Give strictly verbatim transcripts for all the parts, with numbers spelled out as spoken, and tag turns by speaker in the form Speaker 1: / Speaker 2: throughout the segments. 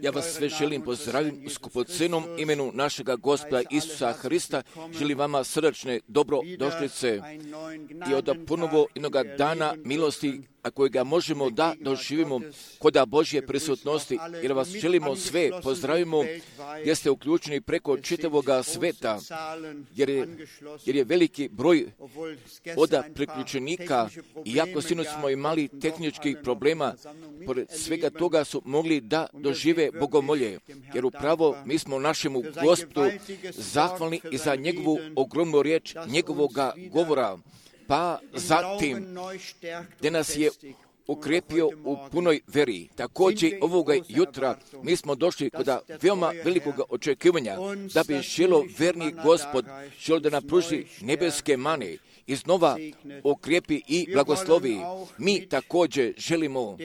Speaker 1: Ja vas sve želim pozdraviti u skupocenom imenu našega Gospoda Isusa Hrista. Želim vama srdačne dobrodošlice i od ponovo jednoga dana milosti, a kojega možemo da doživimo kod Božje prisutnosti, jer vas želimo sve pozdravimo, jer ste uključeni preko čitavoga sveta, jer je, jer je veliki broj od priključenika, iako sinoć smo imali tehničkih problema, pored svega toga su mogli da dožive bogomolje, jer upravo mi smo našemu Gospodu zahvalni i za njegovu ogromnu riječ, njegovoga govora, pa zatim gdje nas je ukrepio u punoj veri. Također ovoga jutra mi smo došli kod veoma velikog očekivanja da bi želo verni Gospod želo da nam pruži nebeske mane, iznova okrepi i blagoslovi. Mi također želimo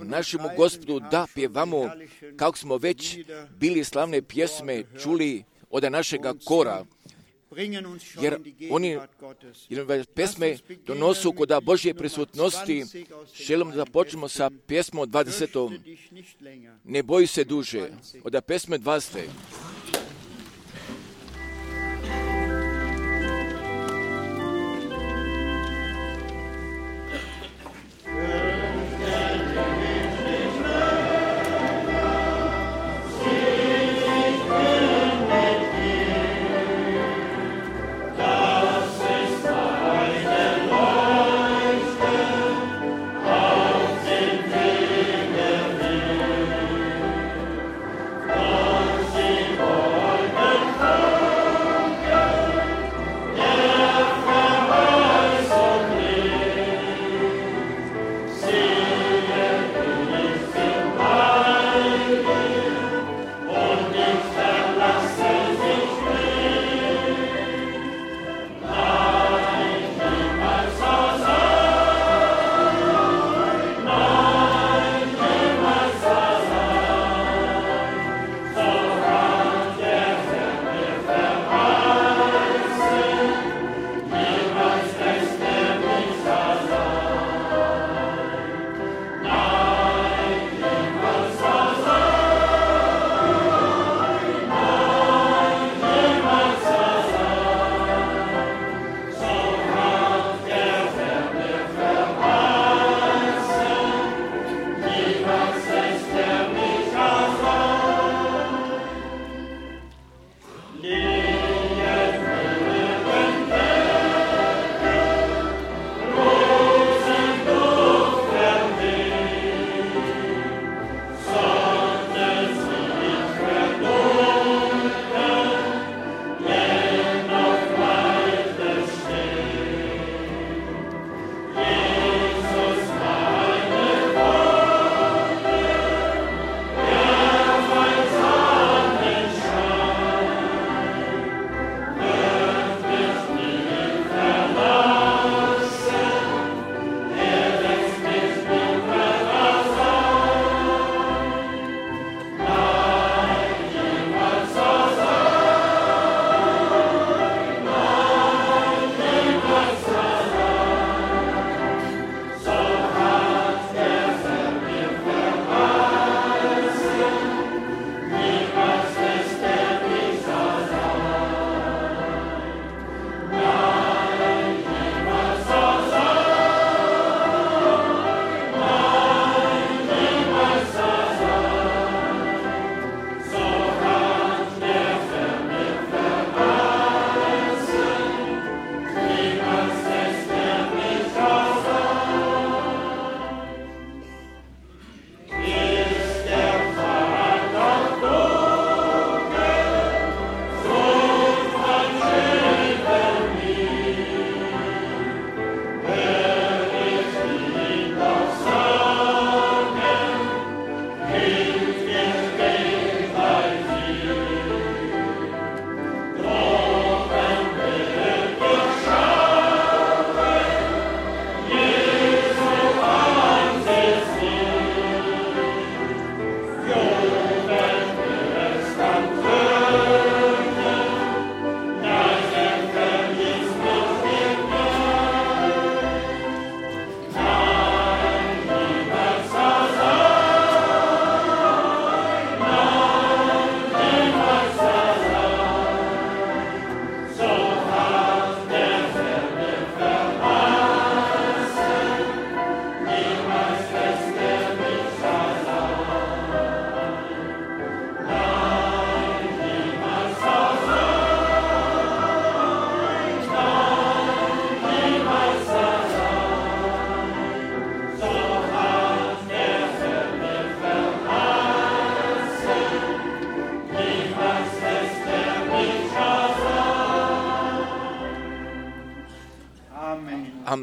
Speaker 1: našemu Gospodu da pjevamo, kako smo već bili slavne pjesme čuli od našega kora, jer oni jer pesme donosu kod Božje prisutnosti. Želimo da počnemo sa pjesmom dvadesetom. Ne boji se duže. Od pesme dvadesete.
Speaker 2: Sing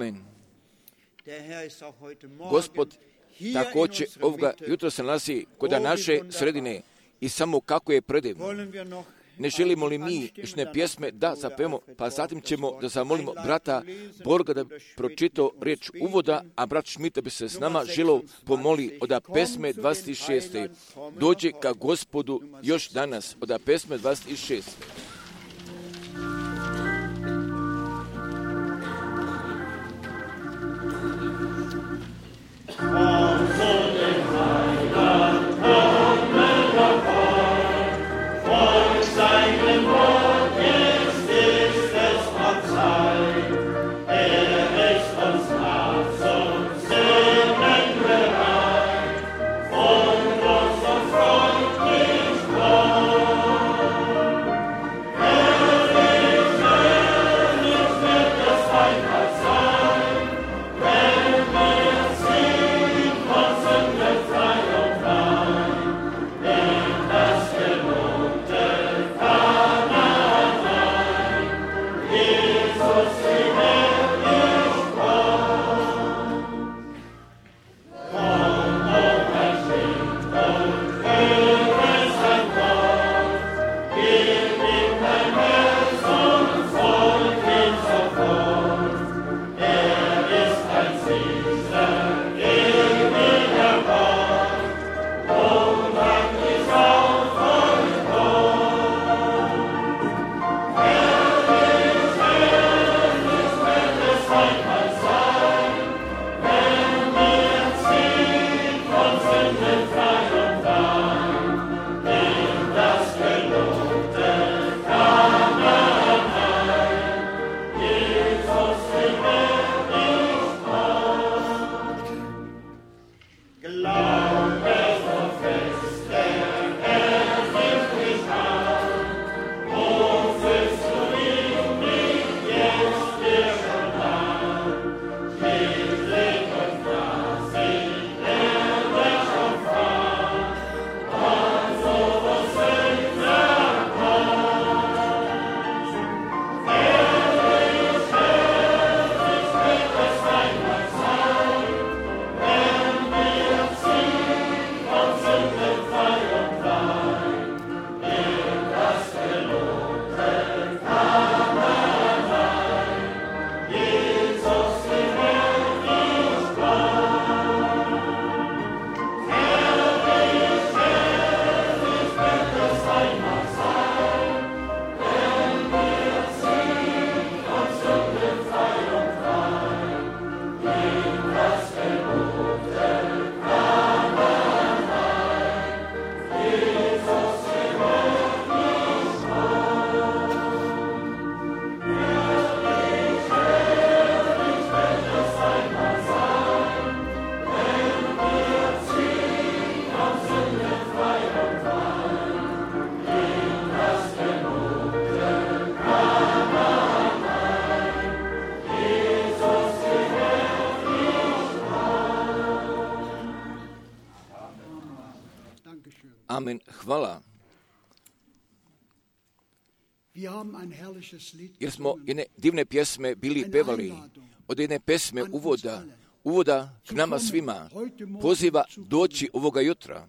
Speaker 1: Amen. Gospod također ovoga jutra se nalazi kod naše sredine i samo kako je predivno. Ne želimo li mi išne pjesme da zapevamo, pa zatim ćemo da zamolimo brata Borga da pročitao riječ uvoda, a brat Šmita bi se s nama želio pomoli od pesme dvadeset šeste. Dođe ka Gospodu još danas od pesme dvadeset šeste. Amen. Hvala. Jer smo jedne divne pjesme bili pevali, od jedne pesme uvoda, uvoda k nama svima, poziva doći ovoga jutra,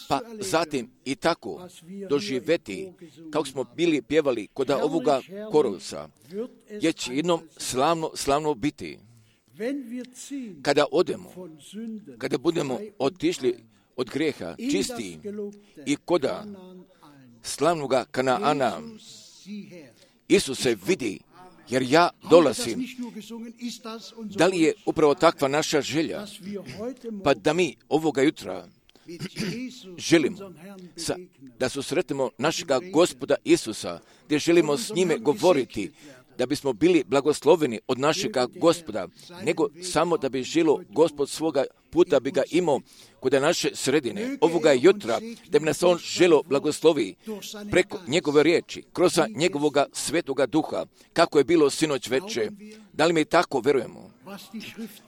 Speaker 1: pa zatim i tako doživjeti, kako smo bili pjevali kod ovoga korovca, jer će jednom slavno, slavno biti. Kada odemo, kada budemo otišli od grijeha čisti i koda slavnoga Kanaana, Isus se vidi, jer ja dolazim. Da li je upravo takva naša želja? Pa da mi ovoga jutra želimo sa, da susretimo našega Gospoda Isusa, gdje želimo s njime govoriti, da bismo bili blagosloveni od našega Gospoda, nego samo da bi žilo Gospod svoga puta bi ga imao kod naše sredine, ovoga jutra, da bi nas on želo blagoslovi preko njegove riječi, kroz njegovoga svetoga duha, kako je bilo sinoć veče. Da li mi tako verujemo?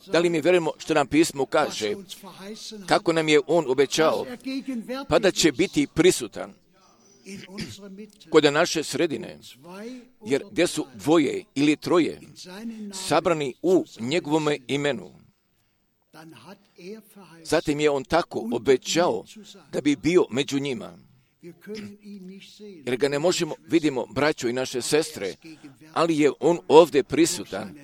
Speaker 1: Da li mi verujemo što nam pismo kaže, kako nam je on obećao, pa da će biti prisutan kod naše sredine, jer gdje su dvoje ili troje sabrani u njegovome imenu, zatim je on tako obećao da bi bio među njima. Jer ga ne možemo, vidimo, braćo i naše sestre, ali je on ovdje prisutan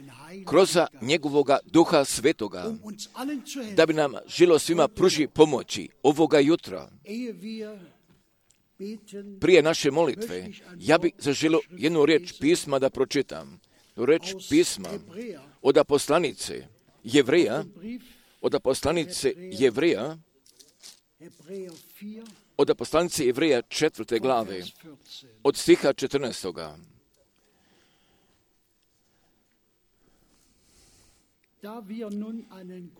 Speaker 1: kroz njegovoga Duha Svetoga, da bi nam žilo svima pruži pomoći ovoga jutra. Prije naše molitve, ja bih zaželio jednu riječ pisma da pročitam. Riječ pisma od poslanice Jevreja, od poslanice Jevreja, od poslanice Jevreja četvrte glave, od stiha četrnaestoga.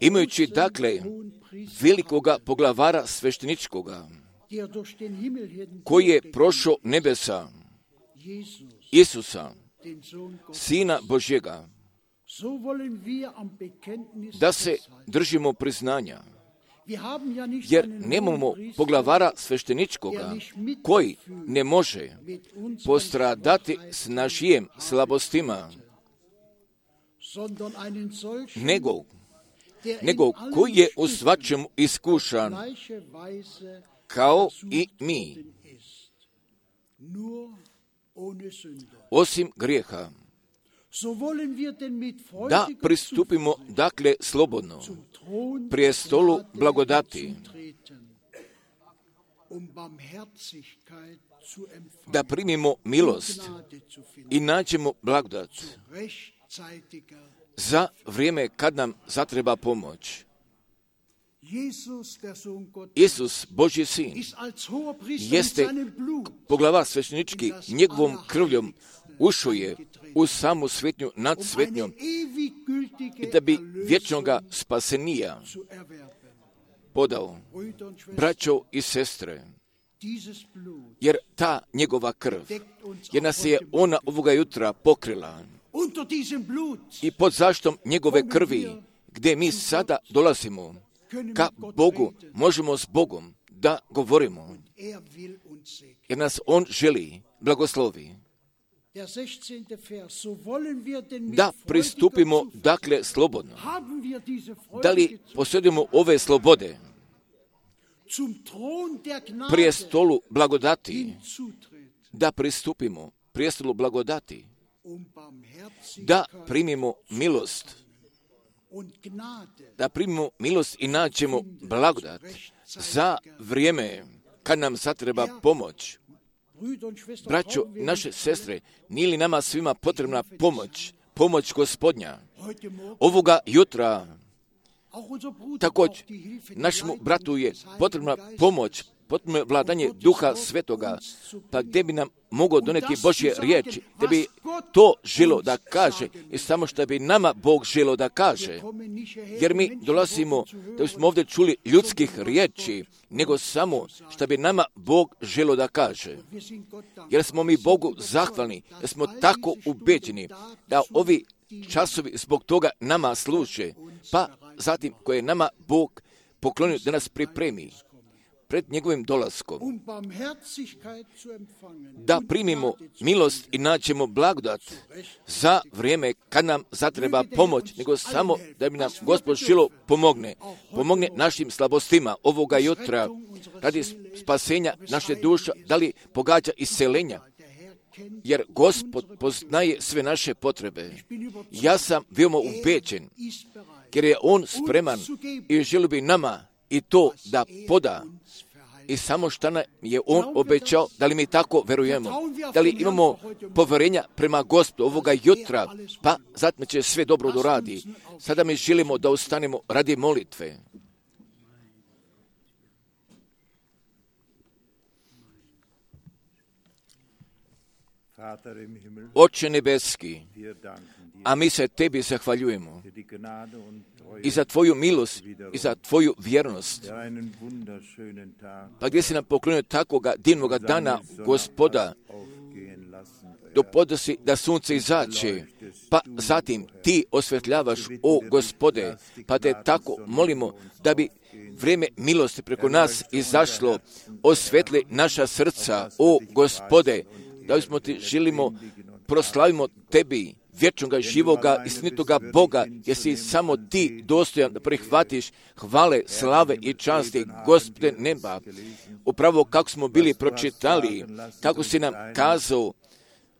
Speaker 1: Imajući dakle velikoga poglavara svešteničkoga, koji je prošao nebesa, Isusa, Sina Božjega, da se držimo priznanja, jer nemamo poglavara svešteničkoga koji ne može postradati s našim slabostima, nego, nego koji je u svačemu iskušan kao i mi, osim grijeha. Da pristupimo dakle slobodno prije stolu blagodati, da primimo milost i nađemo blagodat za vrijeme kad nam zatreba pomoć. Isus, Božji sin, jeste poglavar sveštenički, njegovom krvljom ušao je u samu svetnju nad svetnjom i da bi vječnoga spasenija podao. Braćo i sestre, jer ta njegova krv, jer nas je ona ovoga jutra pokrila i pod zaštom njegove krvi, gdje mi sada dolazimo ka Bogu, možemo s Bogom da govorimo, jer nas on želi blagoslovi. Da pristupimo dakle slobodno. Da li posjedujemo ove slobode prije stolu blagodati, da pristupimo prije stolu blagodati, da primimo milost, da primimo milost i nađemo blagodat za vrijeme kad nam zatreba pomoć. Braćo, naše sestre, nije li nama svima potrebna pomoć, pomoć Gospodnja? Ovoga jutra također našemu bratu je potrebna pomoć, potrebno vladanje Duha Svetoga, pa gdje bi nam mogao doneti Božje riječi, gdje bi to želo da kaže i samo što bi nama Bog želo da kaže. Jer mi dolazimo da smo ovdje čuli ljudskih riječi, nego samo što bi nama Bog želo da kaže. Jer smo mi Bogu zahvalni, jer smo tako ubeđeni da ovi časovi zbog toga nama služe, pa zatim koje nama Bog poklonio da nas pripremi pred njegovim dolaskom, da primimo milost i naćemo blagodat za vrijeme kad nam zatreba pomoć, nego samo da bi nam Gospod želo pomogne. Pomogne našim slabostima ovoga jutra radi spasenja naše duše, da li pogađa iscelenja, jer Gospod poznaje sve naše potrebe. Ja sam veoma ubeđen, jer je On spreman i želi bi nama i to da poda. I samo što nam je On obećao, da li mi tako verujemo, da li imamo povjerenja prema Gospodu ovoga jutra, pa zatim će sve dobro doradi. Sada mi želimo da ustanemo radi molitve. Oče nebeski, a mi se Tebi zahvaljujemo i za Tvoju milost i za Tvoju vjernost. Pa gdje si nam poklonio takvoga divnoga dana, Gospoda, dopodosi da sunce izađe, pa zatim Ti osvetljavaš, o Gospode, pa te tako molimo da bi vrijeme milosti preko nas izašlo, osvetli naša srca, o Gospode, da bismo ti želimo, proslavimo tebi, vječnoga, živoga, istinitoga Boga, jer si samo ti dostojan da prihvatiš hvale, slave i časti, Gospode neba. Upravo kako smo bili pročitali, kako si nam kazao,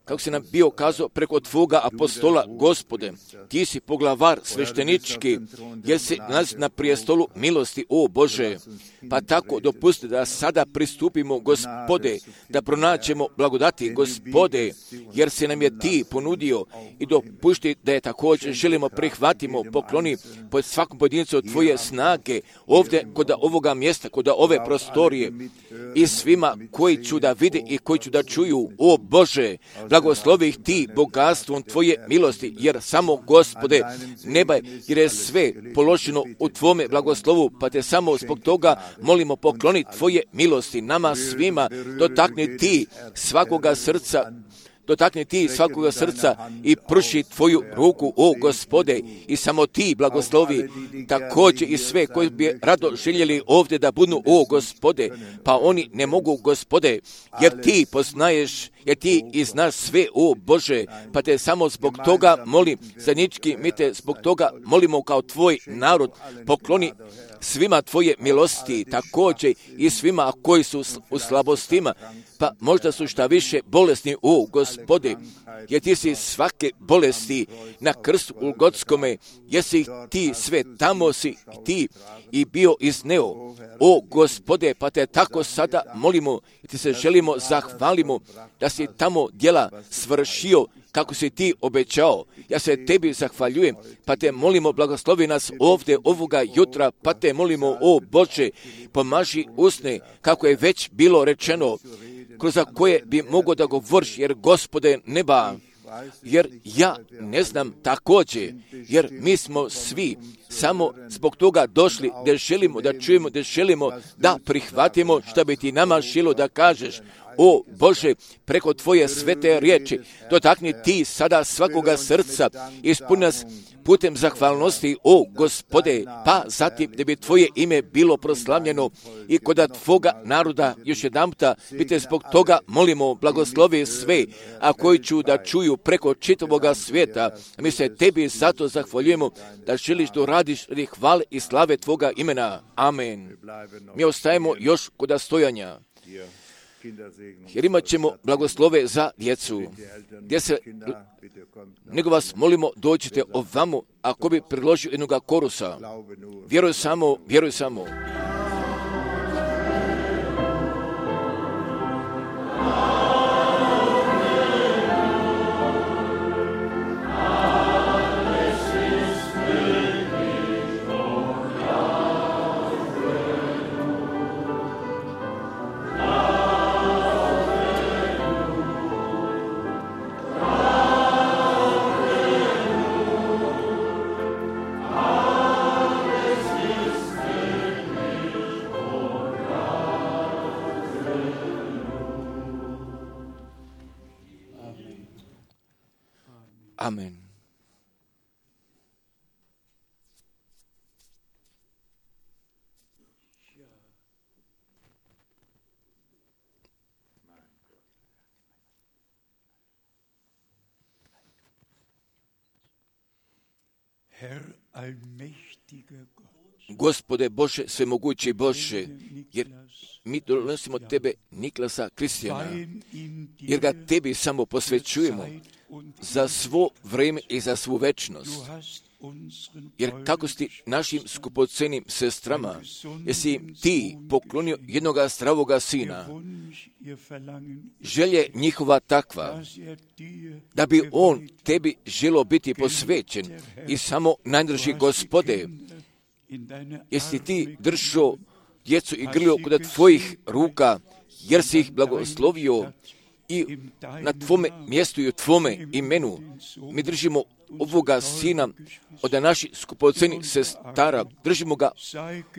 Speaker 1: kako si nam bio kazao preko tvoga apostola, Gospode, ti si poglavar sveštenički, jer si nalazi na prijestolu milosti, o Bože. Pa tako dopusti da sada pristupimo, Gospode, da pronaćemo blagodati, Gospode, jer si nam je ti ponudio, i dopušti da je također želimo prihvatimo, pokloni pod svakom pojedincu tvoje snage, ovdje kod ovoga mjesta, kod ove prostorije, i svima koji ću da vide i koji ću da čuju, o Bože, blagoslovi ih ti bogatstvom tvoje milosti, jer samo, Gospode, neba je, jer je sve položeno u tvome blagoslovu, pa te samo zbog toga molimo, pokloni tvoje milosti nama svima, dotakni ti svakoga srca, dotakni ti svakoga srca i pruši tvoju ruku, o Gospode, i samo ti blagoslovi također i sve koji bi rado željeli ovdje da budu, o Gospode, pa oni ne mogu, Gospode, jer ti poznaješ, jer ti i znaš sve, o Bože, pa te samo zbog toga molim, zajednički mi te zbog toga molimo kao tvoj narod, pokloni svima tvoje milosti, također i svima koji su u slabostima, pa možda su šta više bolesni, o Gospode, jer ti si svake bolesti na krstu Golgotskome, jer si ti sve tamo si ti i bio izneo, o Gospode, pa te tako sada molimo i ti se želimo zahvalimo da si tamo djela svršio kako si ti obećao. Ja se tebi zahvaljujem, pa te molimo, blagoslovi nas ovdje ovoga jutra, pa te molimo, o Bože, pomaži usne, kako je već bilo rečeno, kroz koje bi mogo da govoriš, jer, Gospode neba, jer ja ne znam također, jer mi smo svi samo zbog toga došli da želimo da čujemo, da želimo da prihvatimo što bi ti nama želo da kažeš. O Bože, preko tvoje svete riječi, dotakni ti sada svakoga srca, ispuni nas putem zahvalnosti, o Gospode, pa zatim da bi tvoje ime bilo proslavljeno i kod tvoga naroda još jedanputa, bi te zbog toga molimo, blagoslovi sve, a koji ću da čuju preko čitavoga svijeta. Mi se tebi zato zahvaljujemo da želiš da radiš radi hvale i slave tvoga imena. Amen. Mi ostajemo još kod stojanja, jer imat ćemo blagoslove za djecu, gdje se, nego vas molimo, dođite ovamo, ako bi predložio jednoga korusa. Vjeruj samo, vjeruj samo. Amen. Gospode Bože, svemogući Bože, jer mi donosimo tebe, Niklasa Kristijana, jer ga tebi samo posvećujemo za svo vrijeme i za svu večnost. Jer kako si našim skupocenim sestrama, jesi im ti poklonio jednoga zdravoga sina, želje njihova takva, da bi on tebi želo biti posvećen i samo najdrži, Gospode, jesi ti držao djecu i grlio kod tvojih ruka, jer si ih blagoslovio i na tvome mjestu i u tvome imenu mi držimo ovoga sina od naših skupocenih sestara, držimo ga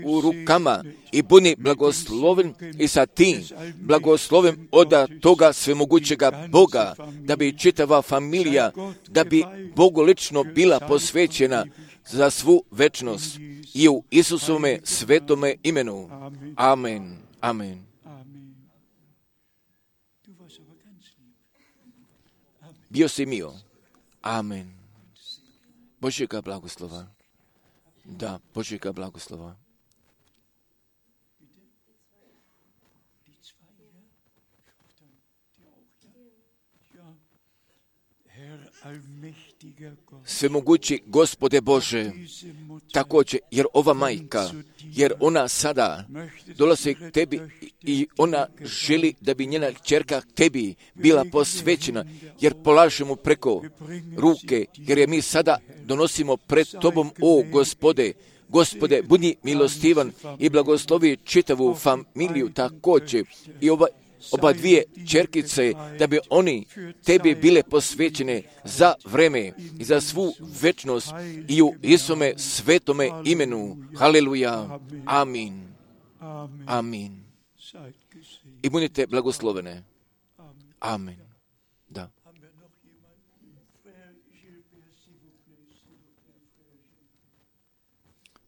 Speaker 1: u rukama i budi blagosloven i sa tim blagosloven od toga svemogućega Boga, da bi čitava familija, da bi Bogu lično bila posvećena, za svu večnost i u Isusovome svetome imenu. Amen. Amen. Bio si mio. Amen. Božjega blagoslova. Da, Božjega blagoslova. Svemogući Gospode Bože, također, jer ova majka, jer ona sada dolazi k tebi i ona želi da bi njena kćerka tebi bila posvećena, jer polažemo preko ruke, jer je mi sada donosimo pred tobom, o Gospode. Gospode, budi milostivan i blagoslovi čitavu familiju također i ova oba dvije čerkice, da bi oni tebi bile posvećene za vreme i za svu večnost i u Isusovome svetome imenu. Haleluja. Amin. Amin. I budite blagoslovene. Amin. Da.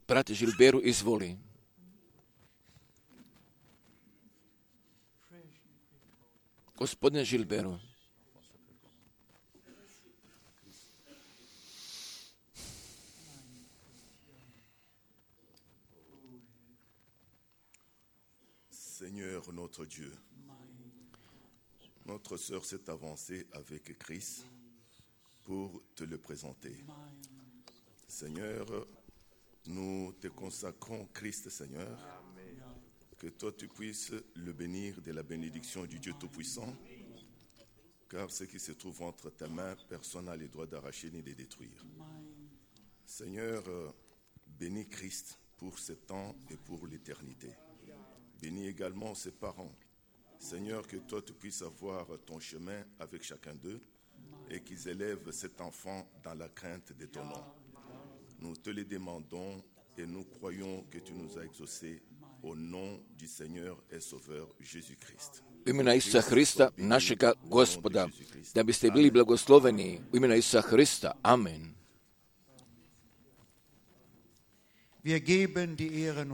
Speaker 1: Brate Žilberu, izvoli. Gospodine Žilberu,
Speaker 2: Seigneur notre Dieu, notre sœur s'est avancée avec Christ pour te le présenter. Seigneur, nous te consacrons Christ, Seigneur. Que toi tu puisses le bénir de la bénédiction du Dieu Tout-Puissant, car ce qui se trouve entre tes mains, personne n'a le droit d'arracher ni de détruire. Seigneur, bénis Christ pour ce temps et pour l'éternité. Bénis également ses parents. Seigneur, que toi tu puisses avoir ton chemin avec chacun d'eux et qu'ils élèvent cet enfant dans la crainte de ton nom. Nous te le demandons et nous croyons que tu nous as exaucés. U
Speaker 1: imena Isusa Hrista, našega Gospoda, da biste bili blagosloveni u imena Isusa Hrista. Amen.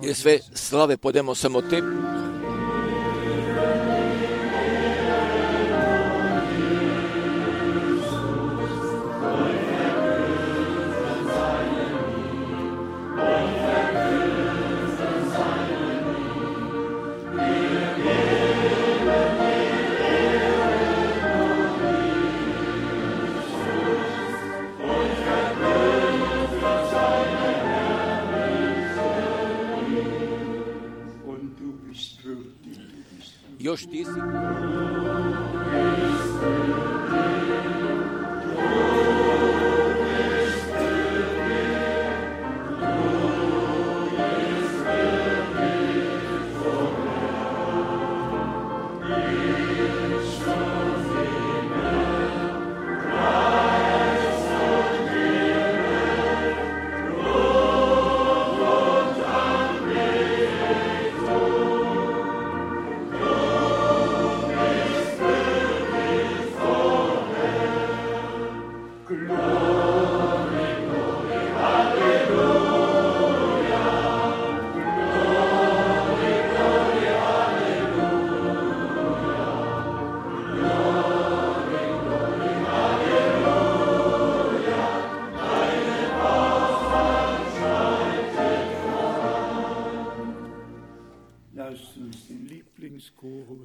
Speaker 1: Jer sve slave podemo samo tebi. Još ti si.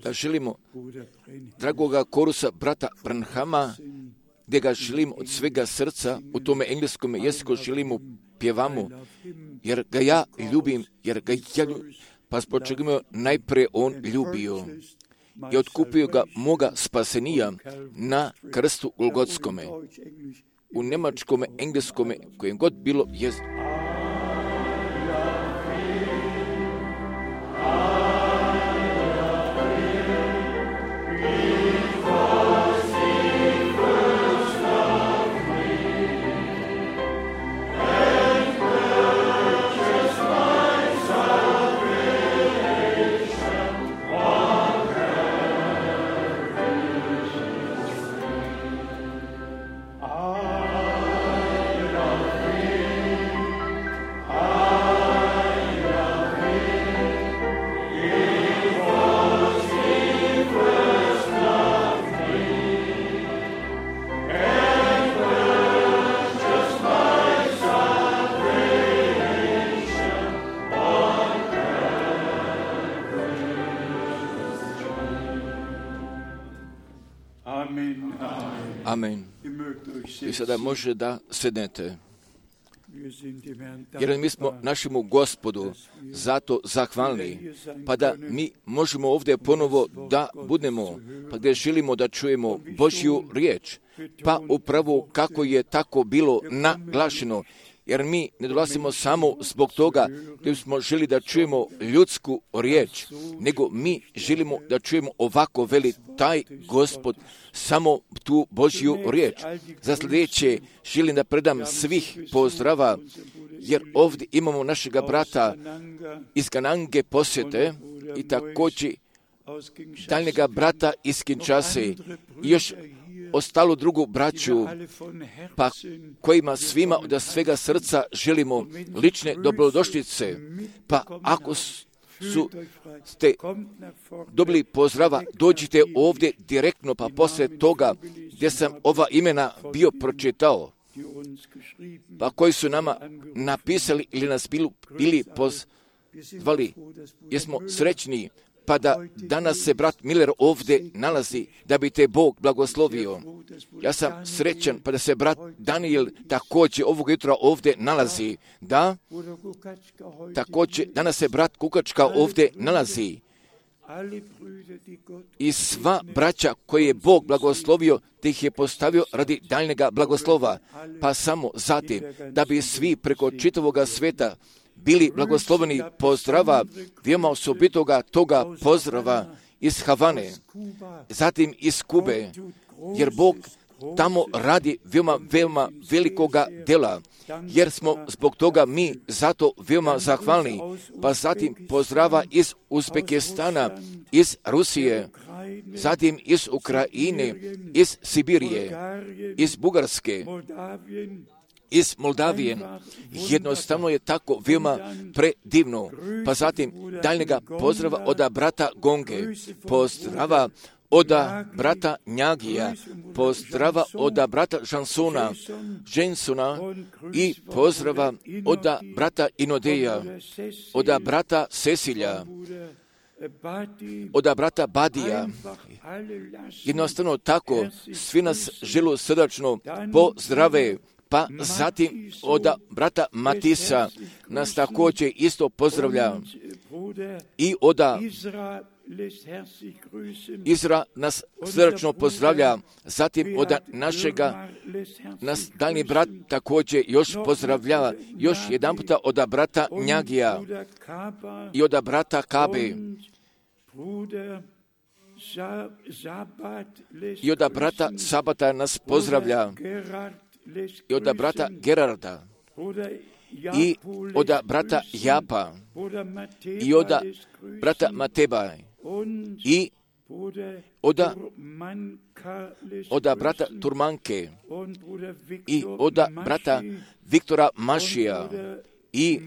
Speaker 1: Da želimo dragoga korusa brata Branhama, gdje ga želim od svega srca, u tome engleskom jeziku želimo pjevamo, jer ga ja ljubim, jer ga ja ljubim, pa zbog čega me najprije on ljubio i otkupio ga moga spasenija na krstu Golgotskome, u njemačkome, engleskome, kojem god bilo jezik. Amen. I sada može da sednete. Jer mi smo našemu Gospodu zato zahvalni, pa da mi možemo ovdje ponovo da budemo, pa gdje želimo da čujemo Božju riječ, pa upravo kako je tako bilo naglašeno. Jer mi ne dolazimo samo zbog toga da smo želi da čujemo ljudsku riječ, nego mi želimo da čujemo ovako veli taj Gospod samo tu Božju riječ. Za sljedeće želim da predam svih pozdrava, jer ovdje imamo našega brata iz Ganange posjete i također daljnjega brata iz Kinshase i još ostalu drugu braću, pa kojima svima od svega srca želimo lične dobrodošlice. Pa ako su ste dobili pozdrava, dođite ovdje direktno, pa poslije toga gdje sam ova imena bio pročitao, pa koji su nama napisali ili nas bili pozvali, jesmo srećni, pa da danas se brat Miller ovdje nalazi, da bi te Bog blagoslovio. Ja sam srećan, pa da se brat Daniel također ovog jutra ovdje nalazi. Da, također danas se brat Kukačka ovdje nalazi. I sva braća koje je Bog blagoslovio, te ih je postavio radi daljnjega blagoslova, pa samo zatim, da bi svi preko čitavoga sveta bili blagosloveni pozdrava, veoma osobitoga toga pozdrava iz Havane, zatim iz Kube, jer Bog tamo radi veoma, veoma velikoga dela, jer smo zbog toga mi zato veoma zahvalni, pa zatim pozdrava iz Uzbekistana, iz Rusije, zatim iz Ukrajine, iz Sibirije, iz Bugarske, iz Moldavije. Jednostavno je tako veoma predivno. Pa zatim daljnjega pozdrava od brata Gonge, pozdrava od brata Njagija, pozdrava od brata Žansona, Žensona i pozdrava od brata Inodeja, od brata Sesilja, od brata Badija. Jednostavno tako, svi nas želu srdačno pozdrave. Pa zatim od brata Matisa nas također isto pozdravlja i od Izra nas srdačno pozdravlja, zatim od našega, nas daljni brat također još pozdravlja, još jedan puta od brata Njagija i od brata Kabe i od brata Sabata nas pozdravlja i od brata Gerarda i od brata Japa i od brata Mateba i od, od brata Turmanke i od brata Viktora Mašija i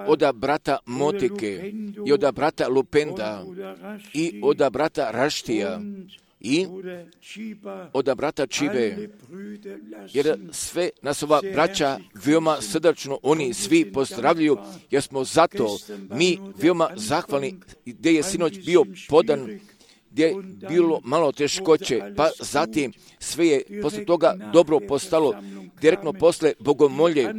Speaker 1: od brata Motike i od brata Lupenda i od brata Raštija i od brata Čibe, jer sve nas ova braća veoma srdačno oni svi pozdravljaju, jer smo zato mi veoma zahvalni, gdje je sinoć bio podan, gdje je bilo malo teškoće, pa zatim sve je posle toga dobro postalo, direktno posle bogomolje,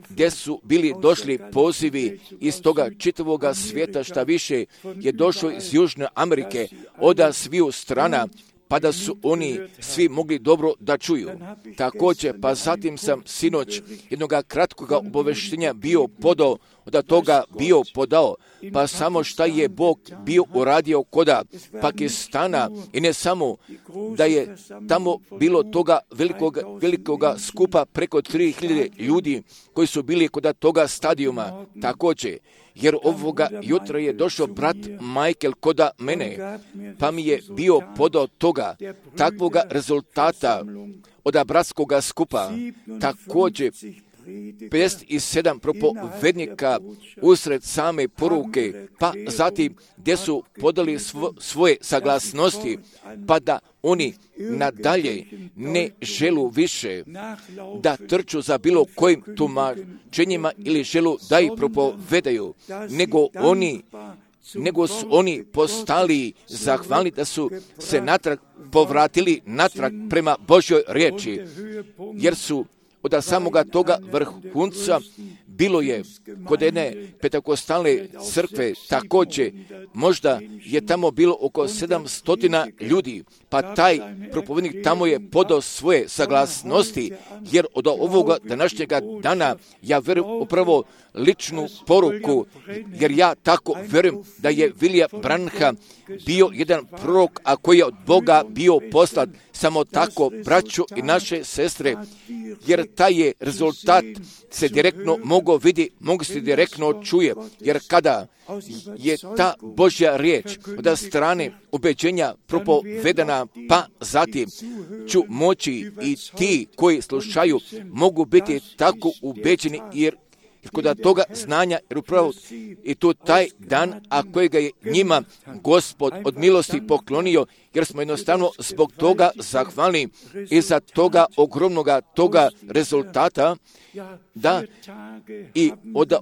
Speaker 1: gdje su bili došli pozivi iz toga čitavoga svijeta, šta više je došlo iz Južne Amerike, od sviju strana, pa da su oni svi mogli dobro da čuju. Također, pa zatim sam sinoć jednoga kratkoga obaveštenja bio podao, od toga bio podao, pa samo šta je Bog bio uradio koda Pakistana, i ne samo da je tamo bilo toga velikoga, velikoga skupa preko tri hiljade ljudi koji su bili kod toga stadijuma. Također, jer ovoga jutra je došao brat Michael koda mene, pa mi je bio podao toga, takvoga rezultata od bratskoga skupa. Također, pedeset sedam propovednika usred same poruke, pa zatim gdje su podali svo, svoje saglasnosti, pa da oni nadalje ne želu više da trču za bilo kojim tumačenjima ili želu da ih propovedaju, nego oni nego su oni postali zahvalni da su se natrag povratili natrag prema Božjoj riječi, jer su od samoga toga vrhunca bilo je kod jedne pentekostalne crkve također, možda je tamo bilo oko sedamsto ljudi, pa taj propovednik tamo je podao svoje saglasnosti, jer od ovoga današnjega dana ja vjerujem upravo ličnu poruku, jer ja tako vjerujem da je William Branham bio jedan prorok, a koji je od Boga bio poslat. Samo tako, braćo i naše sestre, jer taj je rezultat se direktno mogo vidi, mogu se direktno čuje, jer kada je ta Božja riječ od strane ubeđenja propovedana, pa zatim ću moći i ti koji slušaju mogu biti tako ubeđeni, jer kod toga znanja, jer upravo i to taj dan, a kojega je njima Gospod od milosti poklonio, jer smo jednostavno zbog toga zahvalni i za toga ogromnoga toga rezultata, da i od,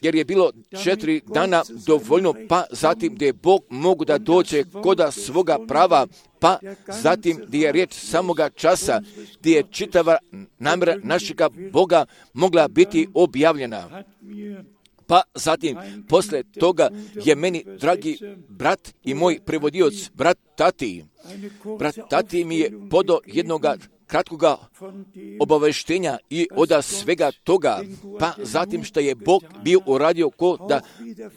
Speaker 1: jer je bilo četiri dana dovoljno, pa zatim gdje je Bog mogu da dođe koda svoga prava, pa zatim gdje je riječ samoga časa, gdje je čitava namjera našega Boga mogla biti objavljena. Pa zatim, posle toga je meni, dragi brat i moj prevodioc, brat Tati, brat Tati mi je podao jednoga kratkoga obaveštenja i od svega toga, pa zatim što je Bog bio uradio ko da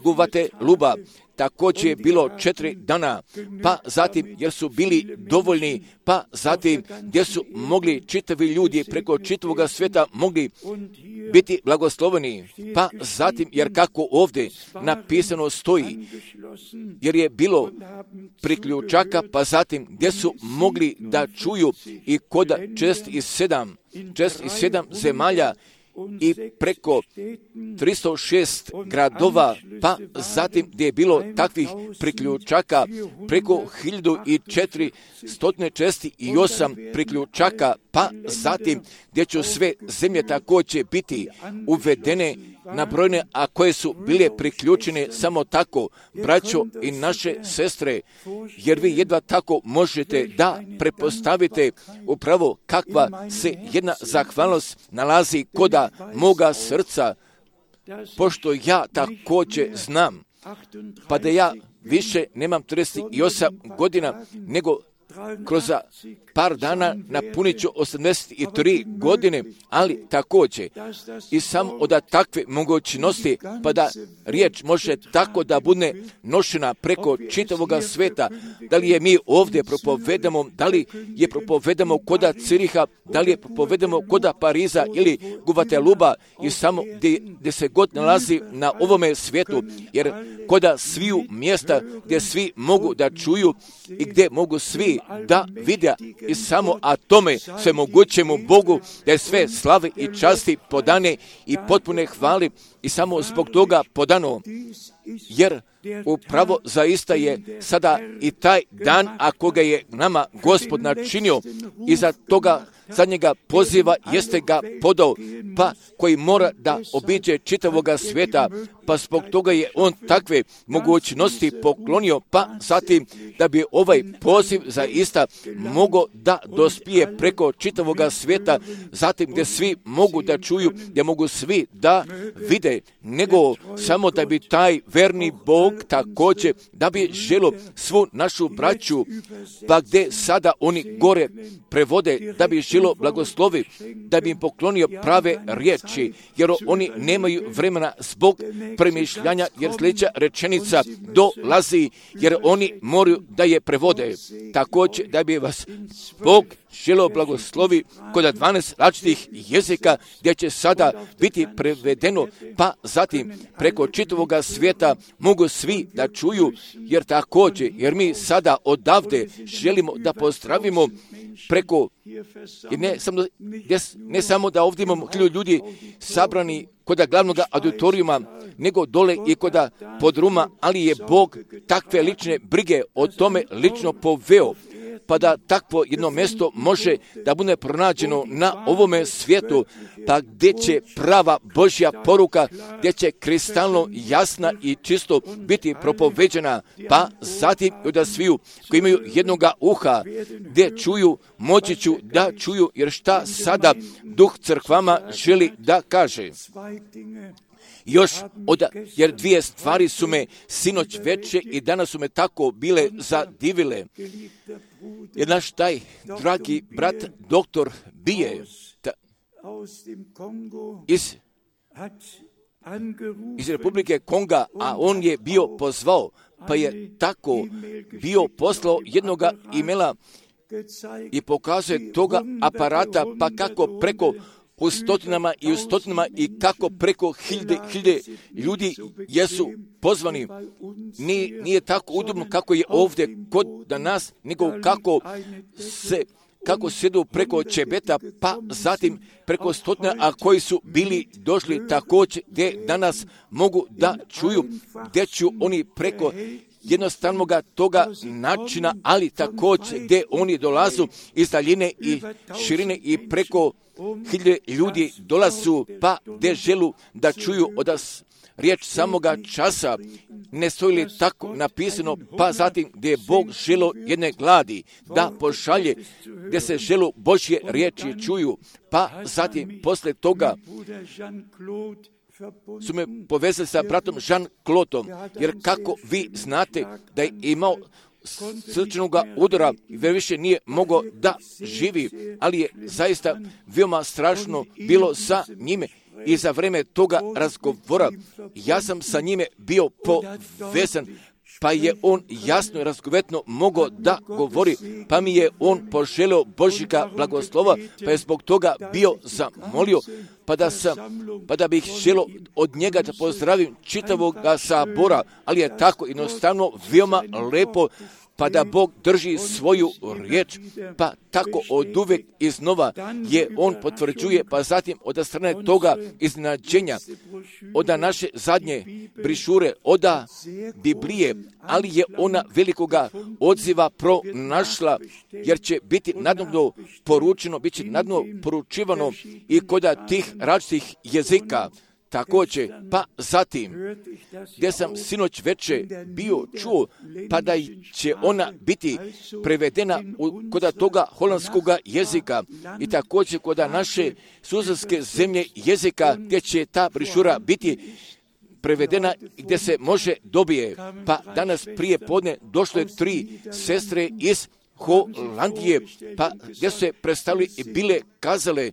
Speaker 1: guvate luba. Također je bilo četiri dana, pa zatim jer su bili dovoljni, pa zatim gdje su mogli čitavi ljudi preko čitavoga svijeta mogli biti blagosloveni, pa zatim jer kako ovdje napisano stoji, jer je bilo priključaka, pa zatim gdje su mogli da čuju i kod čest i sedam, čest i sedam zemalja i preko tristo šest gradova, pa zatim gdje je bilo takvih priključaka preko hiljadu četiristo česti i osam priključaka, pa zatim gdje će sve zemlje također biti uvedene na brojne, a koje su bile priključene samo tako, braćo i naše sestre, jer vi jedva tako možete da prepostavite upravo kakva se jedna zahvalnost nalazi koda moga srca, pošto ja također znam, pa da ja više nemam trideset osam godina, nego kroz par dana napunit ću osamdeset tri godine, ali također i sam od takve mogućnosti, pa da riječ može tako da bude nošena preko čitavoga sveta, da li je mi ovdje propovedamo, da li je propovedamo koda Ciriha, da li je propovedamo koda Pariza ili Guvateluba i samo gdje, gdje se god nalazi na ovome svijetu, jer koda sviju mjesta gdje svi mogu da čuju i gdje mogu svi da vide i samo a tome sve mogućemu Bogu da je sve slave i časti podane i potpune hvali i samo zbog toga podano, jer upravo zaista je sada i taj dan, a koga je nama Gospod načinio i za toga zadnjega poziva jeste ga podao, pa koji mora da obiđe čitavoga svijeta, pa zbog toga je on takve mogućnosti poklonio, pa zatim da bi ovaj poziv zaista mogao da dospije preko čitavoga svijeta, zatim gdje svi mogu da čuju, gdje mogu svi da vide, nego samo da bi taj verni Bog također, da bi želo svu našu braću, pa gdje sada oni gore prevode, da bi želo blagoslovi, da bi im poklonio prave riječi, jer oni nemaju vremena zbog premišljanja, jer sljedeća rečenica dolazi, jer oni moraju da je prevode. Također da bi vas Bog želeo blagoslovi kod dvanaest različitih jezika, gdje će sada biti prevedeno, pa zatim preko čitavoga svijeta mogu svi da čuju, jer također, jer mi sada odavde želimo da pozdravimo preko, ne samo, ne samo da ovdje imamo hiljadu ljudi sabrani kod glavnog auditorijuma, nego dole i kod podruma, ali je Bog takve lične brige o tome lično poveo. pa da takvo jedno mjesto može da bude pronađeno na ovome svijetu, pa gdje će prava Božja poruka, gdje će kristalno jasna i čisto biti propoveđena, pa zatim i od sviju koji imaju jednoga uha, gdje čuju, moći ću da čuju, jer šta sada Duh crkvama želi da kaže. Još od, jer dvije stvari su me sinoć veče i danas su me tako bile zadivile. Jer naš taj dragi brat, doktor Bije, ta, iz, iz Republike Konga, a on je bio pozvao, pa je tako bio poslao jednoga imela i pokazuje toga aparata, pa kako preko u stotinama i u stotinama i kako preko hiljde, hiljde ljudi jesu pozvani. Nije, nije tako udobno kako je ovdje kod da nas, nego kako se kako sjedu preko Čebeta, pa zatim preko stotina, a koji su bili došli također gdje danas mogu da čuju, gdje ću oni preko jednostavnog toga načina, ali također gdje oni dolazu iz daljine i širine i preko hiljade ljudi dolazu, pa gdje želu da čuju od nas riječ samoga časa, ne stoji li tako napisano, pa zatim gdje je Bog želo jedne gladi da pošalje, gdje se želu Božje riječi čuju, pa zatim posle toga su me povezali sa bratom Jean-Claudeom, jer kako vi znate da je imao srčanog udara i više nije mogao da živi, ali je zaista veoma strašno bilo sa njime. I za vreme toga razgovora ja sam sa njime bio povezan, pa je on jasno i razgovetno mogao da govori, pa mi je on poželio Božjega blagoslova, pa je zbog toga bio zamolio, pa da, sam, pa da bih želio od njega da pozdravim čitavog sabora, ali je tako jednostavno veoma lepo, pa da Bog drži svoju riječ, pa tako od uvek iznova je on potvrđuje, pa zatim od strane toga iznenađenja, od naše zadnje brišure, od Biblije, ali je ona velikoga odziva pronašla, jer će biti nadobno poručeno, bit će nadobno poručivano i kod tih različitih jezika. Također, pa zatim, gdje sam sinoć veče bio čuo, pa da će ona biti prevedena u, kod toga holandskoga jezika i također kod naše susjedske zemlje jezika, gdje će ta brišura biti prevedena i gdje se može dobije. Pa danas prije podne došle tri sestre iz Holandije, pa gdje su se predstavili i bile kazale,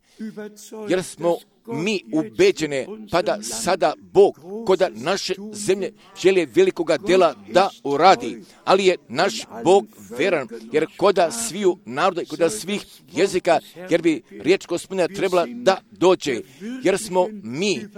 Speaker 1: jer smo mi ubeđene, pa da sada Bog kod naše zemlje želi velikoga dela da uradi, ali je naš Bog veran, jer kod sviju naroda i kod svih jezika, jer bi riječ Gospodina trebala da dođe, jer smo mi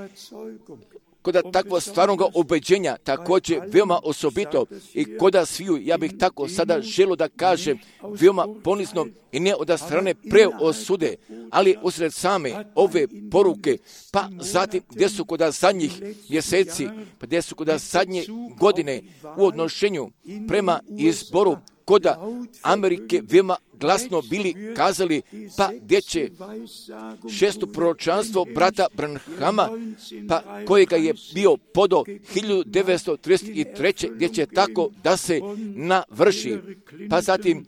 Speaker 1: kod takvog stvarnog ubeđenja također veoma osobito i kod sviju, ja bih tako sada želio da kažem, veoma ponizno i ne od strane preosude, ali usred same ove poruke, pa zatim gdje su kod zadnjih mjeseci, pa gdje su kod zadnje godine u odnošenju prema izboru kod Amerike veoma glasno bili kazali, pa gdje će šesto proročanstvo brata Branhama, pa kojega je bio podo hiljadu devetsto trideset treće gdje će tako da se navrši, pa zatim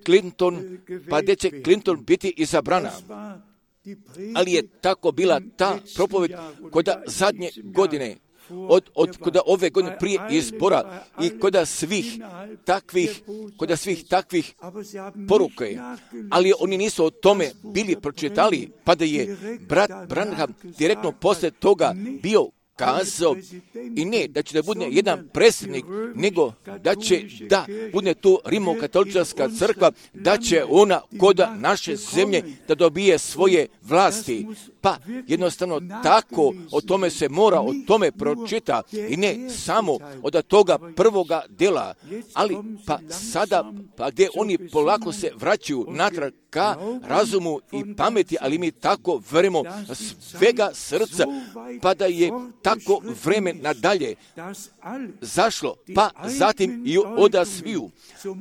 Speaker 1: Clinton, pa gdje će Clinton biti izabrana. Ali je tako bila ta propoved kod zadnje godine, od, od kod ove godine prije izbora i kod svih takvih, kod svih takvih poruke, ali oni nisu o tome bili pročitali, pa da je brat Branham direktno posle toga bio kazao i ne da će da bude jedan predsjednik, nego da će da bude tu Rimokatolička crkva, da će ona kod naše zemlje da dobije svoje vlasti. pa jednostavno tako o tome se mora, o tome pročita i ne samo od toga prvoga dela, ali pa sada, pa gdje oni polako se vraćaju natrag ka razumu i pameti, ali mi tako verujemo svega srca, pa da je tako vreme nadalje zašlo, pa zatim i oda sviju,